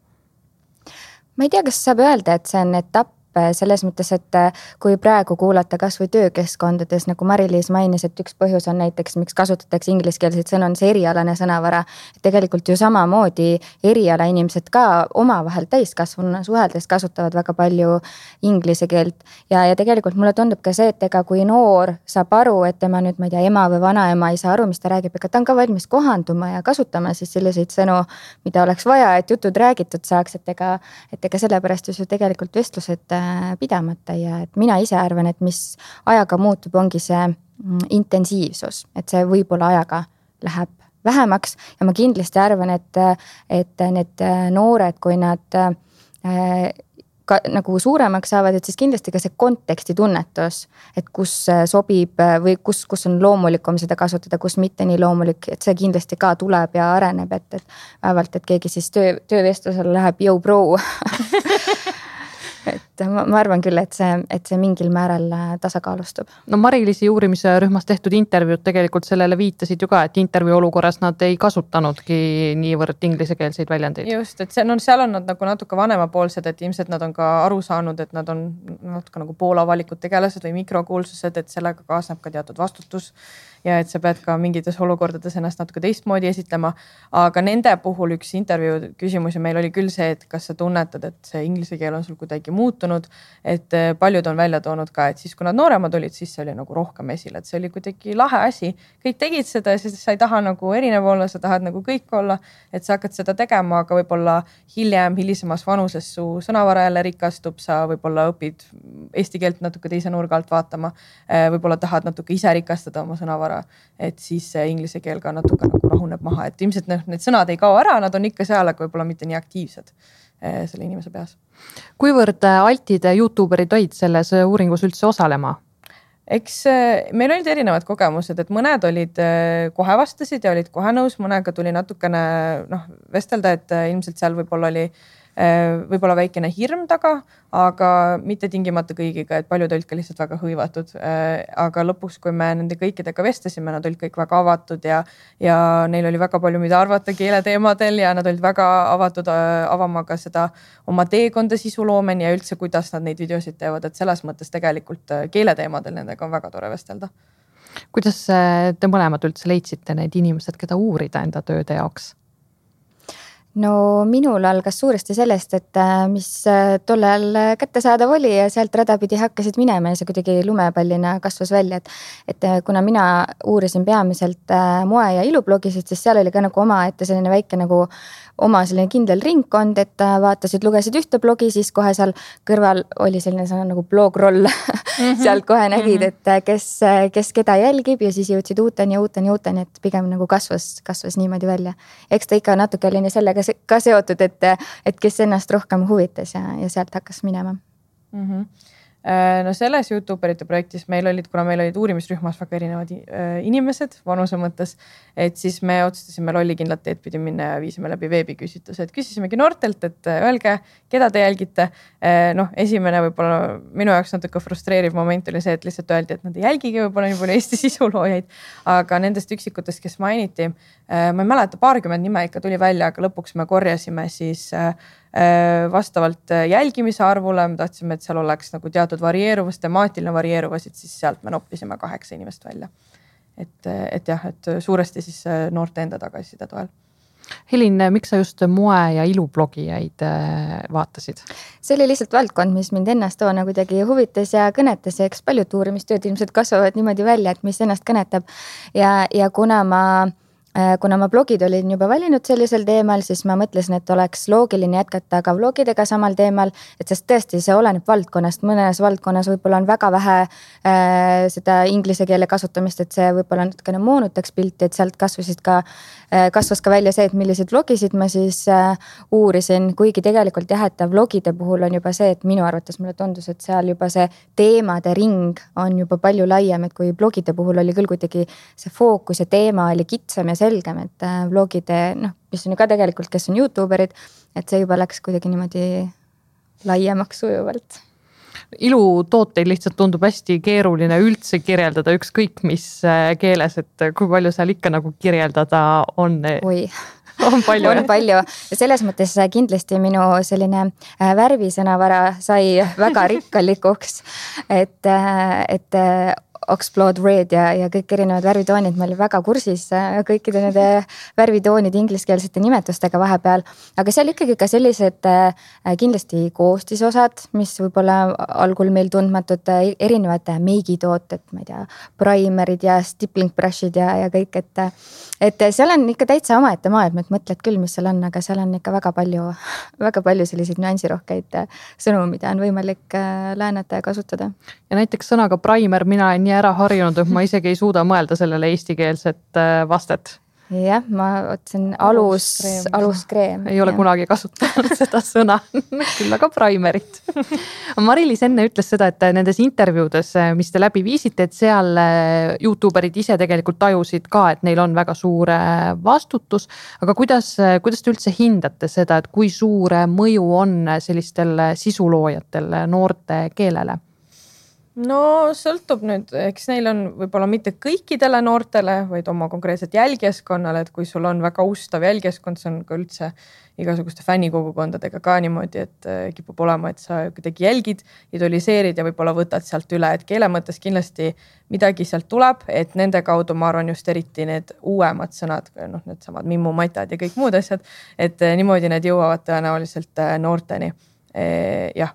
Ma ei tea, kas saab öelda, et see on etapp selles mõttes, et kui praegu kuulata kas või töökeskkondades, nagu Mari-Liis mainis, et üks põhjus on näiteks, miks kasutatakse ingliskeelseid sõnu, on see erialane sõnavara. Tegelikult ju samamoodi eriala inimesed ka omavahel täiskasvuna suheldes kasutavad väga palju inglise keelt. Ja tegelikult mulle tundub ka see, et ega kui noor saab aru, et tema nüüd, ma ei tea, ema või vanaema ei saa aru, mis ta räägib, ega ta on ka valmis kohanduma ja kasutama siis selliseid sõnu, mida oleks vaja, et jutud räägitud saaks, et ega sellepärast ju tegelikult vestlused pidamata ja et mina ise arvan, et mis ajaga muutub, ongi see intensiivsus, et see võib-olla ajaga läheb vähemaks ja ma kindlasti arvan, et need noored, kui nad nagu suuremaks saavad, et siis kindlasti ka see konteksti tunnetus, et kus sobib või kus on loomulikum seda kasutada, kus mitte nii loomulik, et see kindlasti ka tuleb ja areneb, et vähemalt, et keegi siis töövestlusel läheb yo bro. Et ma arvan küll, et see mingil määral tasakaalustub. No Mari-Liisi uurimise rühmas tehtud intervjuud tegelikult sellele viitasid ju ka, et intervjuu olukorras nad ei kasutanudki niivõrd inglisekeelseid väljendeid. Just, et seal on nad nagu natuke vanemapoolsed, et ilmselt nad on ka aru saanud, et nad on natuke nagu poolavalikud tegelased või mikrokuulsused, et sellega kaasneb ka teatud vastutus ja et sa pead ka mingites olukordades ennast natuke teistmoodi esitlema. Aga nende puhul üks intervjuu küsimusi meil oli küll see, et kas sa tunnetad, et see inglise keel on sul kuidagi muutunud, et paljud on välja toonud ka, et siis kui nad nooremad olid, siis see oli nagu rohkem esile, et see oli kuidagi lahe asi. Kõik tegid seda ja siis sa ei taha nagu erinev olla, sa tahad nagu kõik olla, et sa hakkad seda tegema, aga võib-olla hilisemas vanuses su sõnavara jälle rikastub, sa võib-olla õpid eesti keelt natuke teise nurga alt vaatama, võib-olla tahad natuke ise rikastada oma sõnavara, et siis see inglise keel ka natuke nagu rahuneb maha, et ilmselt need sõnad ei kao ära, nad on ikka seal, aga võib-olla mitte nii aktiivsed selle inimese peas. Kuivõrd altid YouTuberid olid selles uuringus üldse osalema? Eks meil olid erinevad kogemused, et mõned olid kohe vastasid ja olid kohe nõus, mõnega tuli natukene vestelda, et ilmselt seal võib-olla oli väikene hirm taga, aga mitte tingimata kõigiga, et paljud olid ka lihtsalt väga hõivatud. Aga lõpuks, kui me nende kõikidega vestlesime, nad olid kõik väga avatud ja neil oli väga palju, mida arvata keeleteemadel ja nad olid väga avatud avama ka seda oma teekonda sisuloomeni ja üldse, kuidas nad neid videosid teevad, et selles mõttes tegelikult keeleteemadel nendega on väga tore vestelda. Kuidas te mõlemad üldse leidsite need inimesed, keda uurida enda tööde jaoks? No minul algas suuresti sellest, et mis tollel kättesaadav oli ja sealt radapidi hakkasid minema ja see kuidagi lumepallina kasvas välja, et kuna mina uurisin peamiselt moe ja ilublogisid, siis seal oli ka nagu oma ette selline väike nagu oma selline kindel ringkond, et vaatasid, lugesid ühte blogi, siis kohe seal kõrval oli selline sõna nagu blogroll. Sealt kohe nägid, et kes keda jälgib ja siis jõudsid uuteni, et pigem nagu kasvas niimoodi välja. Eks ta ikka natuke oli sellega ka seotud, et kes ennast rohkem huvitas ja sealt hakkas minema. No selles YouTuberite projektis meil olid uurimisrühmas väga erinevad inimesed vanuse mõttes, et siis me otsustasime lollikindlat teed pidi minna ja viisime läbi veebiküsitluse, et küsisimegi noortelt, et öelge, keda te jälgite. Esimene võib-olla minu jaoks natuke frustreeriv moment oli see, et lihtsalt öeldi, et nad ei jälgigi võib-olla nii palju Eesti sisuloojaid, aga nendest üksikutest, kes mainiti, ma ei mäleta, 20 nime ikka tuli välja, aga lõpuks me korjasime siis vastavalt jälgimise arvule, me tahtsime, et seal oleks nagu teatud varieeruvus, temaatiline varieeruvus, et siis sealt me noppisime 8 inimest välja. Et suuresti siis noorte enda tagasiside toel. Helin, miks sa just moe ja ilublogijaid vaatasid? See oli lihtsalt valdkond, mis mind ennast toona kuidagi huvitas ja kõnetas ja eks paljud uurimistööd ilmselt kasvavad niimoodi välja, et mis ennast kõnetab ja kuna ma kuna ma blogid olin juba valinud sellisel teemal, siis ma mõtlesin, et oleks loogiline jätkata ka vlogidega samal teemal, et sest tõesti see oleneb valdkonnast, mõnes valdkonnas võib-olla on väga vähe seda inglise keele kasutamist, et see võib-olla natukene moonutaks pilti, et sealt kasvas ka välja see, et milliseid vlogisid ma siis uurisin, kuigi tegelikult jah, et vlogide puhul on juba see, et minu arvates mulle tundus, et seal juba see teemade ring on juba palju laiem, et kui blogide puhul oli küll kuidagi see fookus ja teema oli kitsam ja selgem, et vlogide, mis on ju ka tegelikult, kes on YouTuberid, et see juba läks kuidagi niimoodi laiemaks sujuvalt. Ilutooteid lihtsalt tundub hästi keeruline üldse kirjeldada ükskõik mis keeles, et kui palju seal ikka nagu kirjeldada on. Oi. On palju. On palju ja selles mõttes kindlasti minu selline värvisõnavara sai väga rikkalikuks, et Oxblod Red ja kõik erinevad värvitoonid, ma olin väga kursis kõikide nende värvitoonide ingliskeelsete nimetustega vahepeal, aga seal ikkagi ka sellised kindlasti koostisosad, mis võib-olla algul meil tundmatud erinevad meigitooted, ma ei tea, primerid ja stippling brushid ja kõik, et seal on ikka täitsa omaette maailm, et mõtled küll, mis seal on, aga seal on ikka väga palju selliseid nüansirohkeid sõnu, mida on võimalik läänata ja kasutada. Ja näiteks sõnaga primer mina olen nii ära harjunud, et ma isegi ei suuda mõelda sellele eestikeelset vastet. Jah, ma otsin aluskreem. Ei ole kunagi kasutanud seda sõna, küll aga primerit. Mari-Liis enne ütles seda, et nendes intervjuudes, mis te läbi viisite, et seal YouTuberid ise tegelikult tajusid ka, et neil on väga suur vastutus, aga kuidas te üldse hindate seda, et kui suur mõju on sellistel sisuloojatel noorte keelele? No sõltub nüüd, eks neil on võib-olla mitte kõikidele noortele, vaid oma konkreetselt jälgijaskonnale, et kui sul on väga ustav jälgijaskond, see on ka üldse igasuguste fännikogukondadega ka niimoodi, et kipub olema, et sa kuidagi jälgid, idoliseerid ja võib-olla võtad sealt üle, et keele mõttes kindlasti midagi sealt tuleb, et nende kaudu ma arvan just eriti need uuemad sõnad, need samad mimmumatad ja kõik muud asjad, et niimoodi need jõuavad tõenäoliselt noorteni. Jah.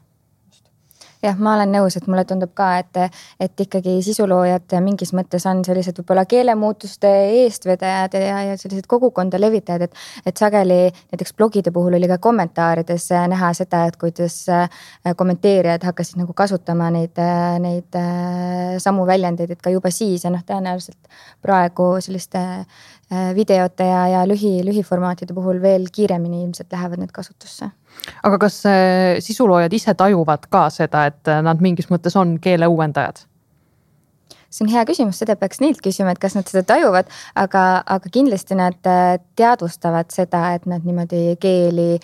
Jah, ma olen nõus, et mulle tundub ka, et ikkagi sisuloojad mingis mõttes on sellised võib-olla keelemuutuste eestvedajad ja sellised kogukonda levitajad, et sageli näiteks blogide puhul oli ka kommentaarides näha seda, et kuidas kommenteerijad hakkasid nagu kasutama neid samu väljendeid, et ka juba siis ja tõenäoliselt praegu selliste videote ja lühiformaatide puhul veel kiiremini ilmselt lähevad need kasutusse. Aga kas sisuloojad ise tajuvad ka seda, et nad mingis mõttes on keele uuendajad? See on hea küsimus, seda peaks neilt küsima, et kas nad seda tajuvad, aga kindlasti nad teadvustavad seda, et nad niimoodi keeli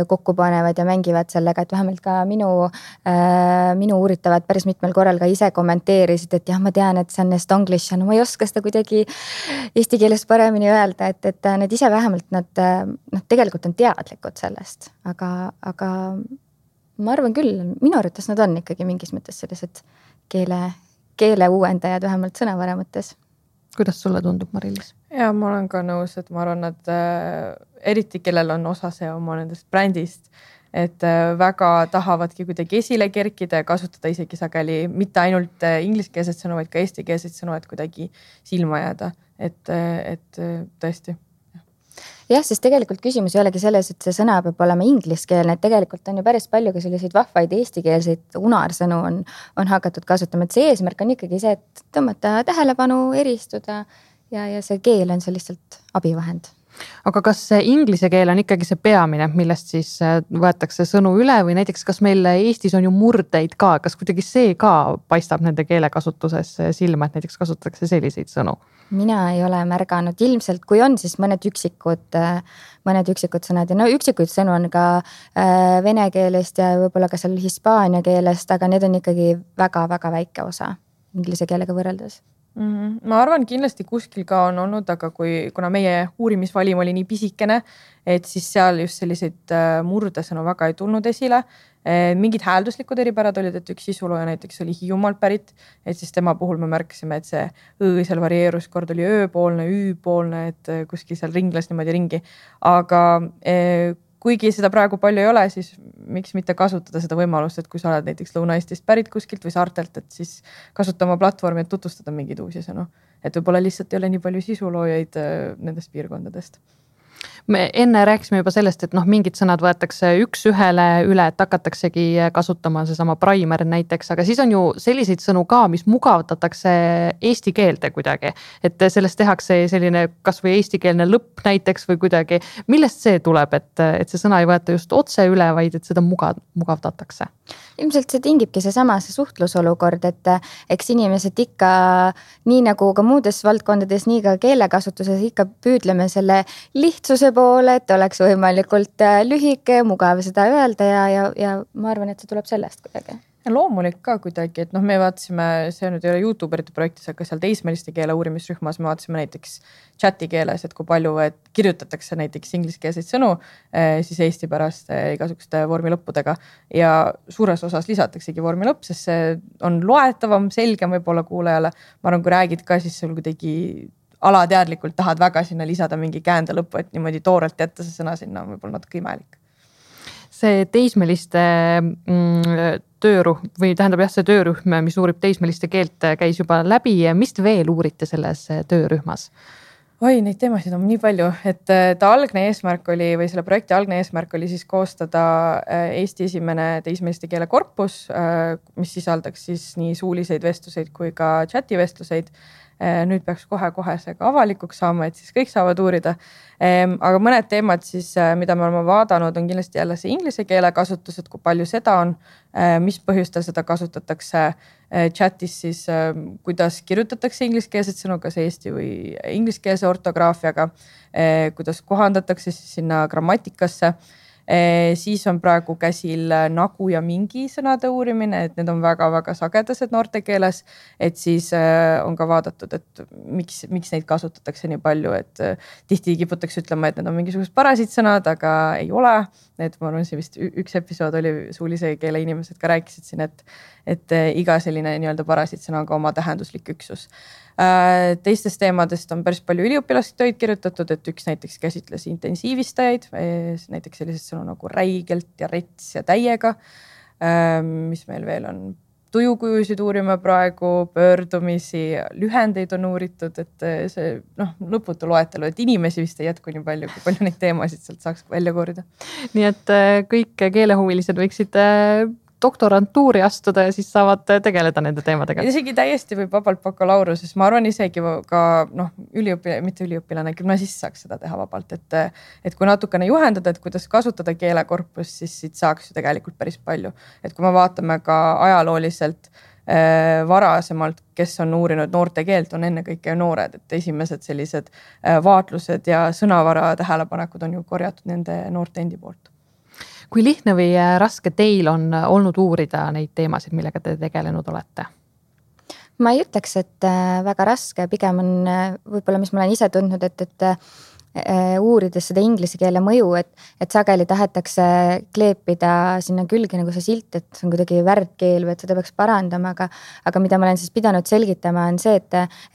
kokku panevad ja mängivad sellega, et vähemalt ka minu uuritavad päris mitmel korral ka ise kommenteerisid, et jah, ma tean, et see on estonglish, no ma ei oska seda kuidagi eesti keeles paremini öelda, et need ise vähemalt nad tegelikult on teadlikud sellest, aga ma arvan küll, minu arvates nad on ikkagi mingis mõttes sellised keele uuendajad vähemalt sõnavara mõttes. Kuidas sulle tundub, Mari-Liis? Ja ma olen ka nõus, et ma arvan, et eriti kellel on osa see oma nendest brändist, et väga tahavadki kuidagi esile kerkida ja kasutada isegi sageli mitte ainult ingliskeelset sõnu, vaid ka eestikeelset sõnu, et kuidagi silma jääda, et tõesti. Jah, siis tegelikult küsimus ei olegi selles, et see sõna peab olema ingliskeelne, et tegelikult on ju päris palju ka selliseid vahvaid eestikeelseid unarsõnu on hakatud kasutama, et see eesmärk on ikkagi see, et tõmmata tähelepanu, eristuda ja see keel on see lihtsalt abivahend. Aga kas inglise keel on ikkagi see peamine, millest siis võetakse sõnu üle või näiteks kas meil Eestis on ju murdeid ka, kas kuidagi see ka paistab nende keelekasutuses silma, et näiteks kasutatakse selliseid sõnu? Mina ei ole märganud, ilmselt kui on, siis mõned üksikud sõnad ja üksikuid sõnu on ka vene keelest ja võib-olla ka seal hispaania keelest, aga need on ikkagi väga-väga väike osa inglise keelega võrreldes. Ma arvan, kindlasti kuskil ka on olnud, aga kuna meie uurimisvalim oli nii pisikene, et siis seal just selliseid murdesõnu väga ei tulnud esile. Mingid häälduslikud eripärad olid, et üks sisulooja näiteks oli Hiiumaalt pärit, et siis tema puhul me märkasime, et see õ seal varieerus, kord oli ööpoolne, üüpoolne, et kuskil seal ringles niimoodi ringi. Aga kuigi seda praegu palju ei ole, siis miks mitte kasutada seda võimalust, et kui sa oled näiteks Lõuna-Eestist pärit kuskilt või saartelt, et siis kasuta oma platvormi, et tutvustada mingeid uusi sõnu. et võib-olla lihtsalt ei ole nii palju sisuloojaid nendest piirkondadest. Me enne rääkisime juba sellest, et mingid sõnad võetakse üks ühele üle, et hakataksegi kasutama seesama primer näiteks, aga siis on ju selliseid sõnu ka, mis mugavdatakse eesti keelde kuidagi. Et sellest tehakse selline kas või eestikeelne lõpp näiteks või kuidagi. Millest see tuleb, et see sõna ei võeta just otse üle, vaid et seda mugavdatakse? Ilmselt see tingibki see suhtlusolukord, et eks inimesed ikka nii nagu ka muudes valdkondades, nii ka keelekasutuses ikka püüdleme selle lihtsuse poole, et oleks võimalikult lühike, mugav seda öelda ja ma arvan, et see tuleb sellest kuidagi. Ja loomulik ka kuidagi, et me vaatasime, see nüüd ei ole YouTuberite projektis, aga seal teismeliste keele uurimisrühmas me vaatasime näiteks chati keeles, et kui palju kirjutatakse näiteks ingliskeelseid sõnu siis eesti pärast igasuguste vormilõppudega ja suures osas lisataksegi vormilõpp, sest see on loetavam, selgem võib-olla kuulajale. Ma arvan, kui räägid ka, siis sul kuidagi alateadlikult tahad väga sinna lisada mingi käände lõppu, et niimoodi toorelt jätta see sõna sinna võib-olla natuke imelik. See teismeliste töörühm või tähendab see töörühm, mis uurib teismeliste keelt, käis juba läbi. Mis te veel uurite selles töörühmas? Oi, neid teemasid on nii palju, et ta algne eesmärk oli või selle projekti algne eesmärk oli siis koostada Eesti esimene teismeliste keele korpus, mis sisaldaks siis nii suuliseid vestluseid kui ka chati vestluseid. Nüüd peaks kohe see ka avalikuks saama, et siis kõik saavad uurida. Aga mõned teemad siis, mida me oleme vaadanud, on kindlasti jälle see inglise keele kasutus, et kui palju seda on, mis põhjustel seda kasutatakse chatis siis, kuidas kirjutatakse ingliskeelset sõnu, kas eesti või ingliskeelse ortograafiaga, kuidas kohandatakse siis sinna grammatikasse. Siis on praegu käsil nagu ja mingi sõnade uurimine, et need on väga-väga sagedased noorte keeles, et siis on ka vaadatud, et miks neid kasutatakse nii palju, et tihti kiputakse ütlema, et need on mingisugused parasiitsõnad, aga ei ole. Et ma arvan, see vist üks episood oli suulise keele inimesed ka rääkisid siin, et iga selline nii-öelda parasiitsõna on ka oma tähenduslik üksus. Teistest teemadest on päris palju üliõpilastöid kirjutatud, et üks näiteks käsitles intensiivistajaid, näiteks sellised sõnu nagu räigelt ja rets ja täiega, mis meil veel on. Tujukujusid uurime praegu, pöördumisi, lühendeid on uuritud, et see lõputu loetelu, et inimesi vist ei jätku nii palju, kui palju neid teemasid sealt saaks välja korida. Nii et kõik keelehuvilised võiksid doktorantuuri astuda ja siis saavad tegeleda nende teemadega. Isegi täiesti võib vabalt bakalaureuse, ma arvan isegi ka mitte üliõpilane, gümnasist saaks seda teha vabalt, et kui natukene juhendada, et kuidas kasutada keelekorpus, siis siit saaks ju tegelikult päris palju. Et kui me vaatame ka ajalooliselt varasemalt, kes on uurinud noorte keelt, on ennekõike noored, et esimesed sellised vaatlused ja sõnavara tähelepanekud on ju korjatud nende noorte endi poolt. Kui lihtne või raske teil on olnud uurida neid teemasid, millega te tegelenud olete? Ma ei ütleks, et väga raske, pigem on võib-olla, mis ma olen ise tundnud, et uurides seda inglise keele mõju, et sageli tahetakse kleepida sinna külge nagu see silt, et see on kuidagi värdkeel või et seda peaks parandama, aga mida ma olen siis pidanud selgitama on see,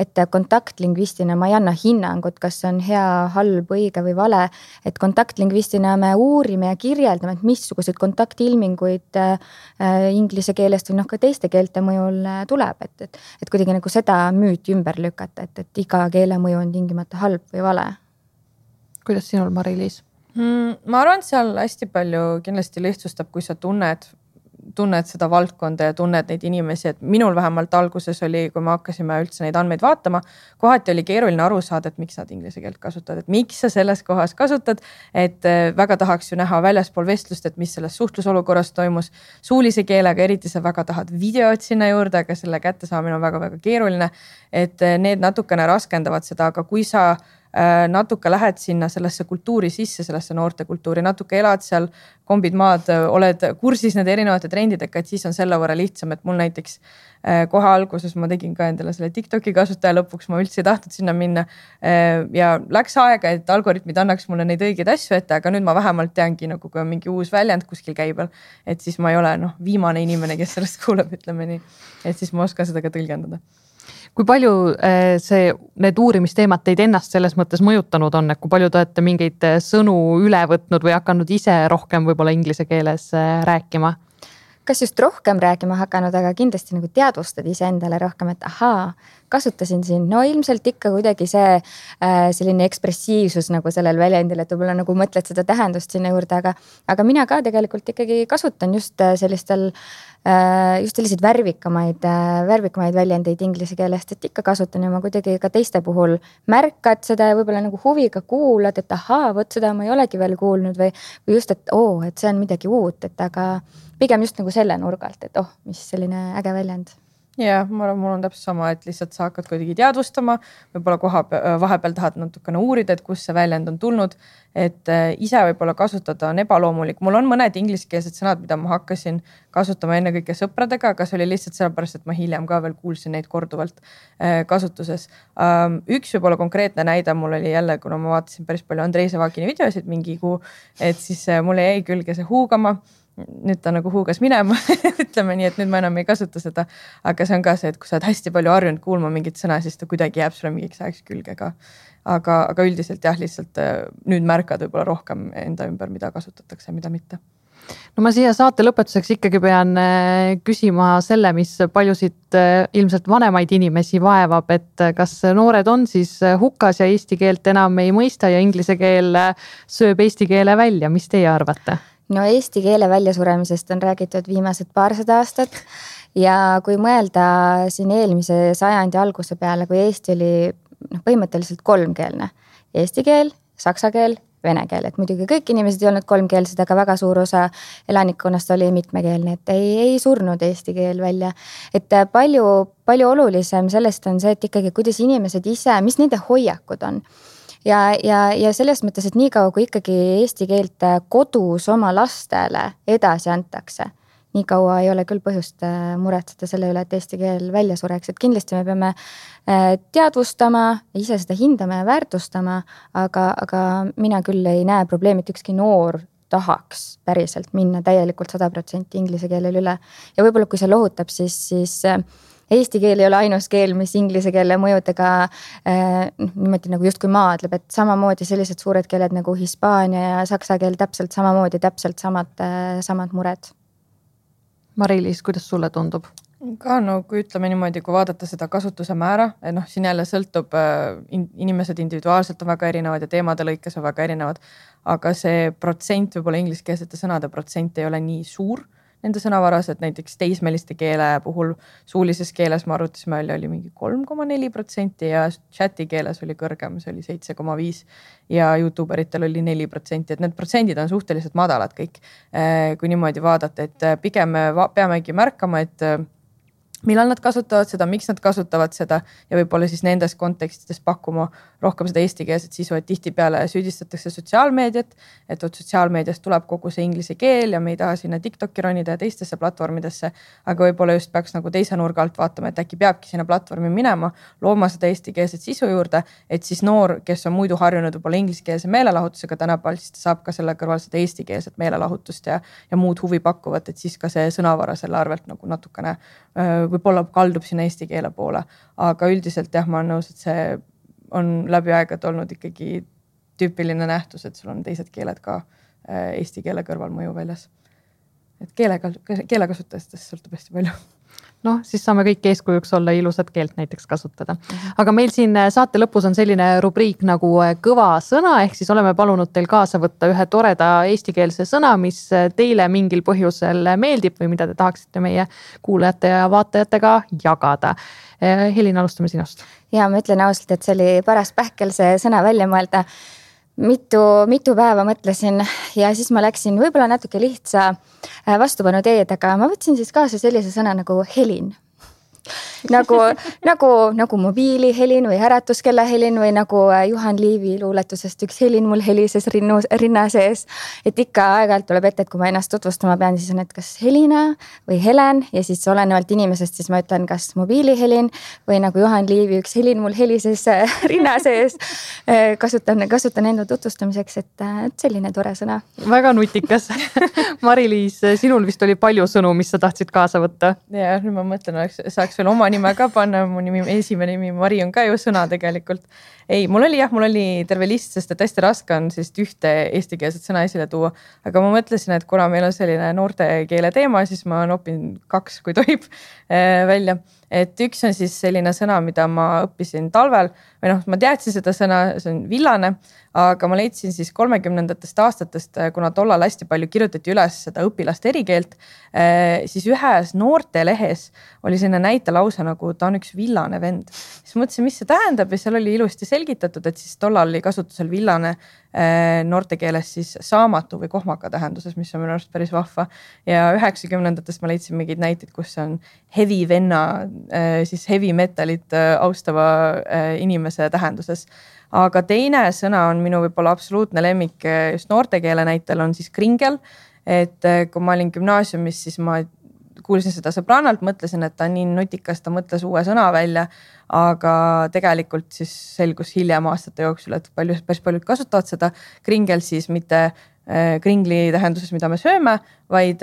et kontaktlingvistina ma ei anna hinnangut, kas see on hea, halb, õige või vale, et kontaktlingvistina me uurime ja kirjeldame, et missuguseid kontaktilminguid inglise keelest või ka teiste keelte mõjul tuleb, et kuidagi nagu seda müüti ümber lükata, et iga keele mõju on tingimata halb või vale. Kuidas sinul, Mari-Liis? Ma arvan, et seal hästi palju kindlasti lihtsustab, kui sa tunned seda valdkonda ja tunned neid inimesi, et minul vähemalt alguses oli, kui me hakkasime üldse neid andmeid vaatama, kohati oli keeruline aru saada, et miks nad inglise keelt kasutavad, et miks sa selles kohas kasutad, et väga tahaks ju näha väljaspool vestlust, et mis selles suhtlusolukorras toimus. Suulise keelega eriti sa väga tahad videot sinna juurde, aga selle kättesaamine on väga-väga keeruline, et need natukene raskendavad seda, aga kui sa natuke lähed sinna sellesse kultuuri sisse, sellesse noorte kultuuri, natuke elad seal, kombid maad, oled kursis nende erinevate trendidega, et siis on selle võrra lihtsam, et mul näiteks kohe alguses ma tegin ka endale selle TikToki kasutaja lõpuks, ma üldse ei tahtnud sinna minna ja läks aega, et algoritmid annaks mulle neid õigeid asju ette, aga nüüd ma vähemalt teangi, nagu kui on mingi uus väljend kuskil käibel, et siis ma ei ole viimane inimene, kes sellest kuuleb, ütleme nii, et siis ma oskan seda ka tõlgendada. Kui palju need uurimisteemad teid ennast selles mõttes mõjutanud on, et kui palju te olete mingeid sõnu üle võtnud või hakanud ise rohkem võib-olla inglise keeles rääkima? Kas just rohkem rääkima hakanud, aga kindlasti nagu teadvustad ise endale rohkem, et ahaa, kasutasin siin, no ilmselt ikka kuidagi see selline ekspressiivsus nagu sellel väljendil, et võib-olla nagu mõtled seda tähendust sinna juurde, aga mina ka tegelikult ikkagi kasutan just selliseid värvikamaid väljendeid inglise keelest, et ikka kasutan ja ma kuidagi ka teiste puhul märkad seda ja võib-olla nagu huviga kuulad, et ahaa, vot seda ma ei olegi veel kuulnud või just, et et see on midagi uut, et aga pigem just nagu selle nurgalt, et mis selline äge väljend. Ja, ma arvan, mul on täpselt sama, et lihtsalt sa hakkad kuidagi teadvustama, võib-olla vahepeal tahad natukene uurida, et kus see väljend on tulnud, et ise võib-olla kasutada on ebaloomulik. Mul on mõned ingliskeelsed sõnad, mida ma hakkasin kasutama ennekõike sõpradega, aga see oli lihtsalt sellepärast, et ma hiljem ka veel kuulsin neid korduvalt kasutuses. Üks võib-olla konkreetne näide mul oli jälle, kuna ma vaatasin päris palju Andrei Savakini videosid mingi kuu, et siis mulle jäi külge see huugama. Nüüd ta nagu huugas minema, ütleme nii, et nüüd ma enam ei kasuta seda, aga see on ka see, et kui sa oled hästi palju harjunud kuulma mingit sõna, siis ta kuidagi jääb sulle mingiks ajaks külge ka. Aga üldiselt jah, lihtsalt nüüd märkad võib-olla rohkem enda ümber, mida kasutatakse, mida mitte. No ma siia saate lõpetuseks ikkagi pean küsima selle, mis paljusid ilmselt vanemaid inimesi vaevab, et kas noored on siis hukas ja eesti keelt enam ei mõista ja inglise keel sööb eesti keele välja, mis teie arvate? No eesti keele väljasuremisest on räägitud viimased 200 aastat ja kui mõelda siin eelmise sajandi alguse peale, kui Eesti oli põhimõtteliselt 3-keelne. Eesti keel, saksa keel, vene keel, et muidugi kõik inimesed ei olnud 3-keelsed, aga väga suur osa elanikkonnast oli mitmekeelne, et ei surnud eesti keel välja. Et palju olulisem sellest on see, et ikkagi kuidas inimesed ise, mis nende hoiakud on. Ja selles mõttes, et nii kaua, kui ikkagi eesti keelt kodus oma lastele edasi antakse, nii kaua ei ole küll põhjust muretseda selle üle, et eesti keel välja sureks, et kindlasti me peame teadvustama, ise seda hindama ja väärtustama, aga mina küll ei näe probleemi, et ükski noor tahaks päriselt minna täielikult 100% inglise keelel üle. Ja võib-olla kui see lohutab, siis eesti keel ei ole ainus keel, mis inglise keele mõjudega niimoodi nagu justkui maadleb, et samamoodi sellised suured keeled nagu hispaania ja saksa keel täpselt samamoodi, täpselt samad mured. Mari-Liis, kuidas sulle tundub? Ka kui ütleme niimoodi, kui vaadata seda kasutuse määra, et siin jälle sõltub, inimesed individuaalselt on väga erinevad ja teemade lõikes on väga erinevad, aga see protsent, võib-olla ingliskeelsete sõnade protsent ei ole nii suur nende sõnavaras, et näiteks teismeliste keele puhul suulises keeles ma arvutasime oli mingi 3,4% ja chati keeles oli kõrgem, see oli 7,5% ja YouTuberitel oli 4%, et need protsendid on suhteliselt madalad kõik, kui niimoodi vaadata, et pigem peamegi märkama, et millal nad kasutavad seda, miks nad kasutavad seda ja võib-olla siis nendes kontekstides pakkuma rohkem seda eestikeelset sisu, et tihti peale süüdistatakse sotsiaalmeediat, et sotsiaalmeediast tuleb kogu see inglise keel ja me ei taha sinna TikToki ronida ja teistesse platvormidesse, aga võib-olla just peaks nagu teise nurga alt vaatama, et äkki peabki sinna platvormi minema, looma seda eestikeelset sisu juurde, et siis noor, kes on muidu harjunud võib-olla ingliskeelse meelelahutusega tänapäeval, siis ta saab ka selle kõrval seda eestikeelset meelelahutust ja muud huvi pakkuvat, et siis ka see sõnavara selle arvelt nagu natukene võib-olla kaldub sinna eesti keele poole, aga üldiselt jah, ma olen nõus, et see on läbi aegad olnud ikkagi tüüpiline nähtus, et sul on teised keeled ka eesti keele kõrval mõju väljas. Et keelekasutajatest sõltub hästi palju. noh, siis saame kõik eeskujuks olla ilusat keelt näiteks kasutada. Aga meil siin saate lõpus on selline rubriik nagu kõva sõna, ehk siis oleme palunud teil kaasa võtta ühe toreda eestikeelse sõna, mis teile mingil põhjusel meeldib või mida te tahaksite meie kuulajate ja vaatajatega jagada. Helin, alustame sinust. Ja ma ütlen ausalt, et see oli paras pähkel see sõna välja mõelda. Mitu päeva mõtlesin ja siis ma läksin võib-olla natuke lihtsa vastupanu teed, aga ma võtsin siis kaasa sellise sõna nagu helin. Nagu mobiilihelin või äratuskella helin või nagu Juhan Liivi luuletusest üks helin mul helises rinna sees. Et ikka aeg-ajalt tuleb ette, et kui ma ennast tutvustama pean, siis on, et kas Helina või Helen ja siis olenevalt inimesest, siis ma ütlen, kas mobiilihelin või nagu Juhan Liivi üks helin mul helises rinna sees. Kasutan enda tutvustamiseks, et selline tore sõna. Väga nutikas. Mari-Liis, sinul vist oli palju sõnu, mis sa tahtsid kaasa võtta. Ja nüüd ma mõtlen, saaks veel oma nime ka panna, mu esimene nimi Mari on ka ju sõna tegelikult. Ei, mul oli terve list, sest et hästi raske on sellist ühte eestikeelset sõna esile tuua, aga ma mõtlesin, et kuna meil on selline noorte keele teema, siis ma nopin 2, kui tohib välja. et üks on siis selline sõna, mida ma õppisin talvel või noh, ma teadsin seda sõna, see on villane, aga ma leidsin siis 30ndatest aastatest, kuna tollal hästi palju kirjutati üles seda õpilaste erikeelt, siis ühes noortelehes oli selline näitelause nagu ta on üks villane vend. Siis mõtlesin, mis see tähendab ja seal oli ilusti selgitatud, et siis tollal oli kasutusel villane noortekeeles siis saamatu või kohmaka tähenduses, mis on minu arust päris vahva. Ja 90ndatest ma leidsin mingeid näiteid, kus on heavy venna, siis heavy metalit austava inimese tähenduses. Aga teine sõna on minu võib-olla absoluutne lemmik just noortekeele näitel on siis kringel. Et kui ma olin gümnaasiumis, siis ma kuulsin seda sõbrannalt, mõtlesin, et ta on nii nutikas, ta mõtles uue sõna välja, aga tegelikult siis selgus hiljem aastate jooksul, et päris paljud kasutavad seda kringel siis mitte kringli tähenduses, mida me sööme, vaid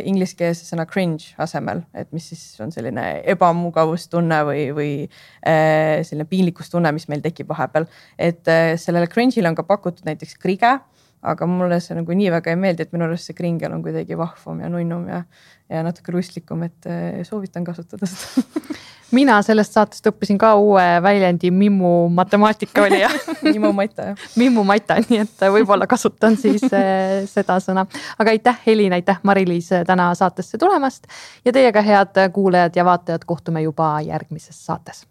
ingliskeelse sõna cringe asemel, et mis siis on selline ebamugavustunne või selline piinlikkustunne, mis meil tekib vahepeal. Et sellele cringe'ile on ka pakutud näiteks krige, aga mulle see nagu nii väga ei meeldi, et minu arust see kringel on kuidagi vahvam ja nunnum ja natuke rustlikum, et soovitan kasutada seda. Mina sellest saatest õppisin ka uue väljendi Mimmu matemaatika oli ja Mimmu Maita, jah. Mimmu Maita, nii et võib-olla kasutan siis seda sõna. Aga aitäh Helin, aitäh Mari-Liis täna saatesse tulemast ja teiega head kuulajad ja vaatajad kohtume juba järgmises saates.